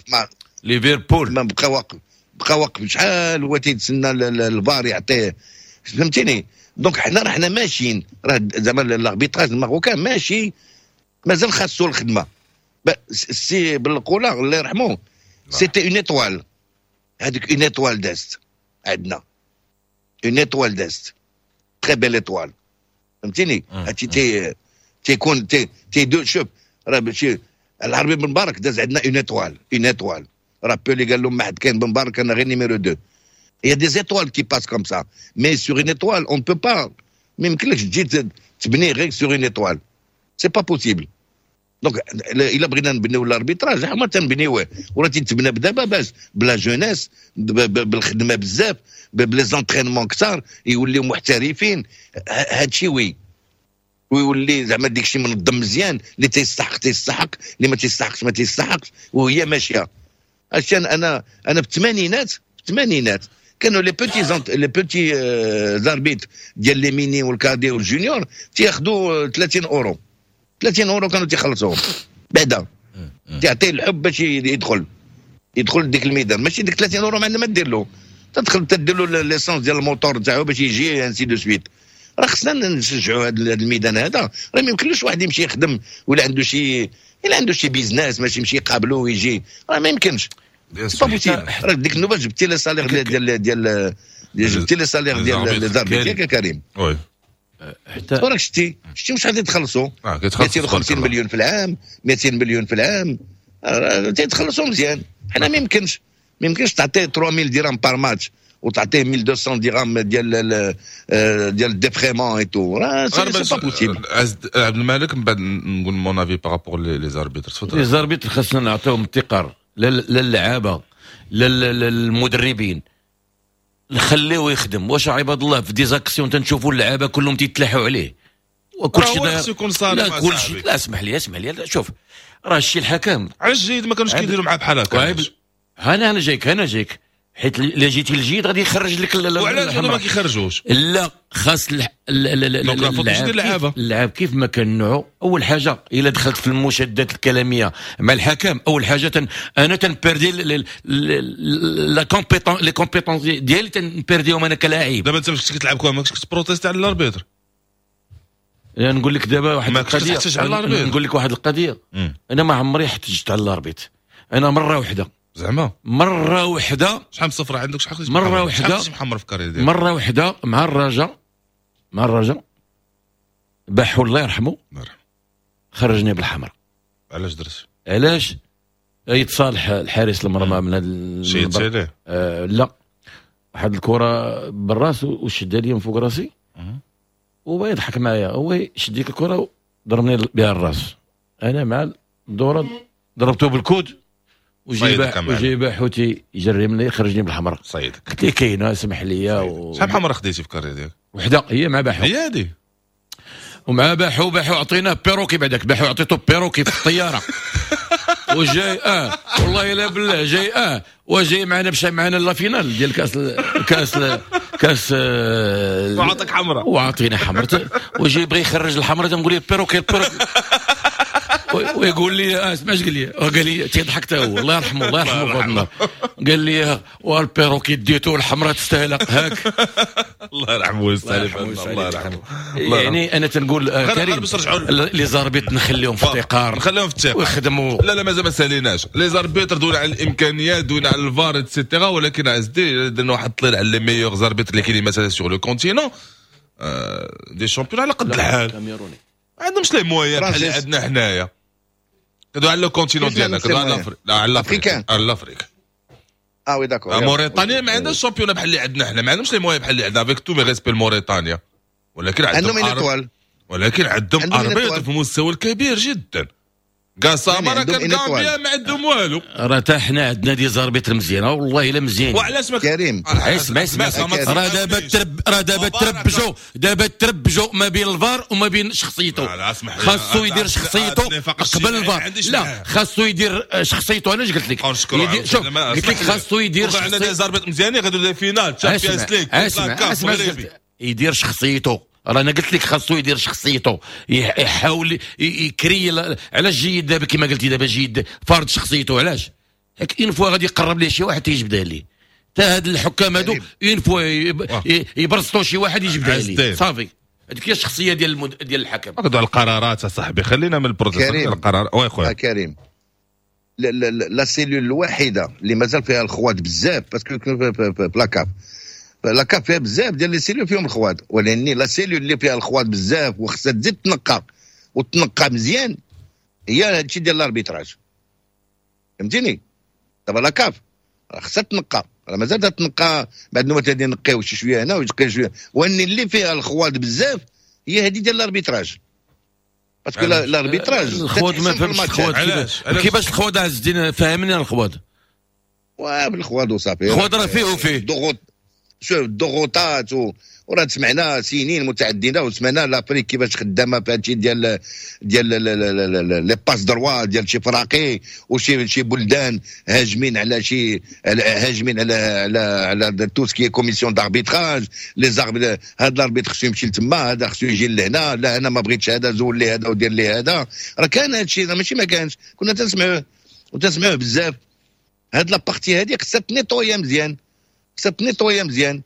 ليفربول. ما بقى واقف، بقى واقف شحال هو تيتسنى الفار يعطيه، فهمتيني؟ donc حنا راه حنا ماشيين، راه زعما l'arbitrage marocain ماشي، مازال خاصو الخدمه. السي بالقوله الله يرحمه c'était une étoile، هذيك une étoile دازت عندنا، une étoile دازت، très belle étoile، فهمتيني؟ هادشي تي تيكون تي تيدو. شوف، راه ماشي العربي بن مبارك داز عندنا une étoile، une étoile. راه بيلي قال لهم ما حد كاين بن مبارك، انا غير numéro 2. Il y a des étoiles qui passent comme ça. Mais sur une étoile, on ne peut pas. ما يمكنلكش تجي تبني غير sur une étoile. C'est pas possible. donc الا بغينا نبنيو l'arbitrage ما تنبنيوه ولا تيتبنى دابا باش ب la jeunesse، بالخدمة بزاف، ب les entraînements كثار، يوليو محترفين. هادشي oui، ويولي زعما ديك الشيء منظم مزيان، اللي تيستحق تيستحق، اللي ما تيستحقش ما تيستحقش، وهي ماشيه. هادشي انا في الثمانينات، في الثمانينات كانوا les petits arbitres ديال les minimes وال cadets وال juniors تياخذوا 30 اورو، 30 اورو كانوا تيخلصوهم بعدا. تعطيه الحب باش يدخل ديك الميدان. ماشي ديك 30 اورو ما عندنا ما دير له، تدخل تدير له l'essence ديال الموتور تاعو باش يجي، ainsi de suite. راه خصنا نشجعوا هذا الميدان هذا. راه ما يمكنلوش واحد يمشي يخدم ولا عنده شي الا عنده شي business ماشي يمشي يقابلو ويجي، راه ما يمكنش، pas possible. راه ديك النوبة جبتي les salaires ديال جبتي les salaires ديال les arbitres، ياك كريم؟ oui. حتى راك شتي شحال تيتخلصوا؟ 250 مليون في العام، 200 مليون في العام تيتخلصوا مزيان. حنا ما يمكنش تعطيه 3000 درهم par match وتعطيه 1200 درهم ديال ال défraiement et tout، راه c'est pas possible. عبد الملك، من بعد نقول mon avis par rapport les arbitres، تفضل. les arbitres خاصنا نعطيهم التقار، لا للعابه لا للمدربين، نخليوه يخدم. واش عباد الله في des actions تنشوفوا اللعابه كلهم تيتلاحوا عليه وكل شيء. يكون صارم. لا، كل شيء، لا، اسمح لي، اسمح لي، شوف، راه الشيء الحكم علاش الجيد ما كانوش كيديروا معاه بحال هكا؟ انا جايك، انا جايك، حيت الا جيتي الجيد غادي يخرج لك. وعلاش ما كيخرجوش؟ لا، خاص اللعابه. اللعاب كيف ما كان نوعو، اول حاجة الا دخلت في المشادات الكلامية مع الحكم، اول حاجة انا تن perdi la compétence، les compétences ديالي تن perdi هم انا كلاعب. دابا انت فاش كتلعب كره ما كنتش كت protester على l'arbitre؟ نقول لك دابا واحد القضيه، نقول لك واحد القضيه، انا ما عمري احتجت على l'arbitre. انا مرة واحده. زعما؟ مرة واحده. شحال من صفرة عندك؟ شحال؟ مرة واحده. شحال محمر في carrière ديالك؟ مرة واحدة مع الرجاء، مع الرجاء، باحو الله يرحمه. الله يرحمه. خرجني بالحمراء. علاش درت؟ علاش يتصالح الحارس المرمى من هذا؟ شيت عليه؟ لا، واحد الكره بالراس وشدها لي من فوق راسي وهو يضحك معايا. هو شد ديك الكره ضربني بها الراس، انا مع الدورة ضربته بال coude وجيبه حوتي يجري مني، خرجني بالحمراء. صيدك. قلت لي كاينه، اسمح لي. شحال حمراء خديتي في carrière ديالك؟ وحده، هي مع باحو. هي هذه. ومع باحو، باحو عطيناه perroquet بعداك، باحو عطيته perroquet في الطيارة وجاي والله الا بالله جاي وجاي معنا، مشى معنا la finale ديال كاس وعطاك حمراء. وعطينا حمراء، وجاي بغى يخرج الحمراء، تنقول لي perroquet perroquet، ويقول لي اسمع اش قال لي، قال لي تيضحك حتى هو، الله يرحمه، الله يرحمه في هذا النهار، قال لي وال perroquet ديتو، الحمراء تستاهل هاك. الله يرحمه ويستاهل، الله يرحمه. يعني انا تنقول كريم، les arbitres نخليهم في التقار. نخليهم في التقار. ويخدموا. لا لا، مازال ما ساليناش les arbitres، دونا على الامكانيات، دونا على الفار et cetera، ولكن عزدي درنا واحد الطليل على les meilleurs arbitres اللي كاينين مثلا sur le continent، des championnats على قد الحال، ما عندهمش les moyens بحال اللي عندنا حنايا. كدوي على le continent ديالنا، كدوي على l'Afrique، لا، على l'Afrique، على l'Afrique. اه oui d'accord. موريتانيا ما عندهاش championnat بحال اللي عندنا حنا، ما عندهمش les moyens بحال اللي عندنا، avec tous mes respects موريتانيا، ولكن عندهم ولكن عندهم arbitres في المستوى الكبير جدا. قاسامة راه كان غامبيا ما عندهم والو. راه حتى حنا عندنا des arbitres مزيانه والله الا مزيان. وعلاش ما كريم اسمع اسمع، راه دابا راه دابا تربجوا، دابا تربجوا ما بين الفار وما بين شخصيته. خاصو يدير شخصيته قبل الفار. لا خاصو يدير شخصيته. انا اش قلت لك؟ شوف قلت لك خاصو يدير شخصيته. عندنا des arbitres مزيانين غادي des finales Champions League. يدير شخصيته. راه انا قلت لك خاصو يدير شخصيته، يحاول يكري. علاش جيد دابا كما قلتي دابا جيد فرض شخصيته؟ علاش؟ une fois غادي يقرب ليه شي واحد تيجبدها ليه. حتى هاد الحكام هادو une fois يبرزطوا شي واحد يجبدها ليه صافي. هذيك هي الشخصية ديال ديال الحكم. هضروا على القرارات اصاحبي، خلينا من ال processus القرار. oui خويا كريم، la cellule الوحيدة اللي مازال فيها الخوات بزاف، parce que la CAF la CAF فيها بزاف ديال les cellules فيهم الخواد، ولكن la cellule اللي فيها الخواد بزاف وخصها تزيد تنقى وتنقى مزيان هي هادشي ديال l'arbitrage. فهمتيني؟ دابا la CAF خصها تنقى، راه مازال تنقى بعد ما تادي نقيو شي شوية هنا ويتقي شوية، وان اللي فيها الخواد بزاف هي هذه ديال l'arbitrage. parce que l'arbitrage الخواد ما فهمتش الخواد كيفاش الخواد عز الدين، فهمني الخواد. بالخواد وصافي، الخواد راه فيه وفيه ضغوط. شوف الضغوطات وراه سمعنا سنين متعددة وسمعنا l'Afrique كيفاش خدامه في هادشي ديال ديال les passe-droits ديال شي فراقي وشي شي بلدان هاجمين على شي هاجمين على على على tout ce qui est commission d'arbitrage. les arbitres هذا l'arbitre خصو يمشي لتما، هذا خصو يجي لهنا، لا انا ما بغيتش هذا، زول لي هذا ودير لي هذا. راه كان هادشي ماشي ما كانش، كنا تنسمعوه وتنسمعوه بزاف. هاد la partie هادي خصها تنيطويا مزيان، خصها تنيطويا مزيان.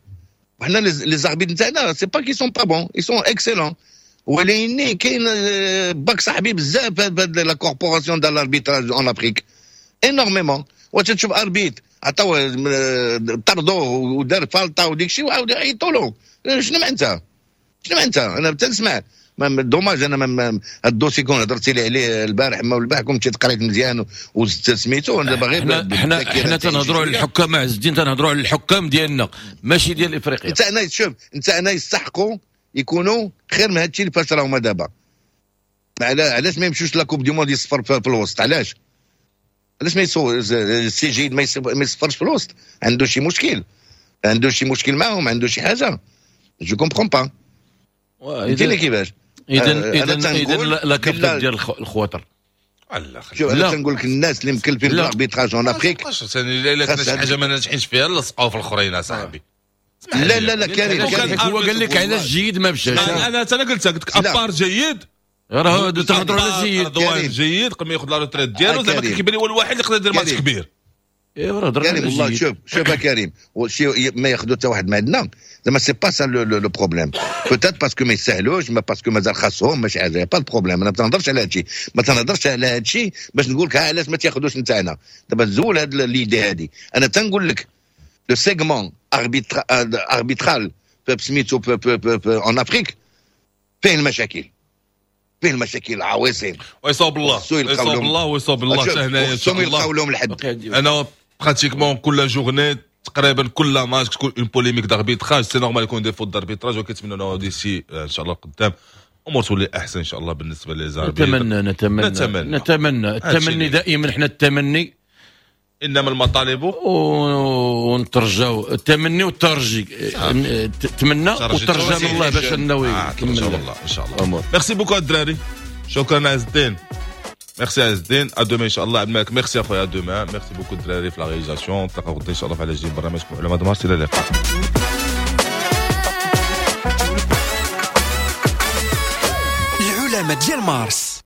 وحنا les arbitres نتاعنا c'est pas qu'ils sont pas bons، ils sont excellents، ولكن كاين باك صاحبي بزاف هاد la corporation ديال l'arbitrage en Afrique énormément. وتشوف arbitre عطاوه طردوه ودار فالطا وديك الشيء وعاود عيطوا له. شنو معناتها؟ شنو معناتها؟ انا تنسمع dommage. انا هاد ال dossier كون هضرتي لي عليه البارح ما البارح كنت مشيت قريت مزيان وزدت سميتو. انا باغي حنا تنهضروا على الحكام عز الدين، تنهضروا على الحكام ديالنا ماشي ديال افريقيا. انت انا شوف انت انا يستحقوا يكونوا خير من هادشي اللي فاش راهما دابا. علاش ما يمشوش la Coupe du Monde يصفر في الوسط؟ علاش علاش ما يصور السي جيد ما يصفرش في الوسط؟ عنده شي مشكل، عنده شي مشكل معاهم، عنده شي حاجة. je comprends pas. فهمتيني كيفاش؟ اذا اذا اذا la CAF ديال الخواطر. شوف انا تنقول لك الناس اللي مكلفين ب l'arbitrage en Afrique الا كانت شي حاجة ما ناجحينش فيها لصقوها في الاخرين اصاحبي. لا لا لا كريم، هو قال لك علاش جيد ما مشاش. انا قلت لك à part جيد، راه تهضروا على جيد رضوان جيد قبل ما ياخذ la retraite ديالو زعما كيبان لي هو الوحيد اللي يقدر يدير ماتش كبير. ايوا راه كريم والله. شوف شوف كريم، شي ما ياخذوا حتى واحد ما عندنا زعما c'est pas ça le problème. peut-être parce que ما يسهلوش، ما parce que مازال خاصهم ماشي حاجة، pas problème. انا ما تنهضرش على هادشي، ما تنهضرش على هادشي باش نقول لك علاش ما تاخذوش نتاعنا. دابا تزول هاد l'idée هادي. انا تنقول لك le segment arbitral سميتو en Afrique فيه المشاكل، فيه المشاكل العويصين. ويصوب الله، ويصوب الله، ويصوب الله حتى هنايا ان شاء الله يلقاو لهم الحد. انا pratiquement كل journée تقريبا كل ماتش تكون une polémique d'arbitrage، c'est normal يكون des fautes d'arbitrage، وكنتمنى d'ici ان شاء الله قدام امور تولي احسن ان شاء الله بالنسبة les arbitres. نتمنى نتمنى نتمنى التمني دائما، حنا التمني انما المطالب ونترجاو التمني والترجي، تمنى وترجى من الله باش انه يكمل ان شاء الله. ان شاء الله. merci beaucoup الدراري، شكرا عز الدين، ميرسي عز الدين، à demain ان شاء الله. عبد الملك ميرسي اخويا، à demain. merci beaucoup الدراري في la réalisation. نتلاقاو غدا ان شاء الله في على جديد برنامجكم علماء دمارس. الى اللقاء. العلماء ديال مارس.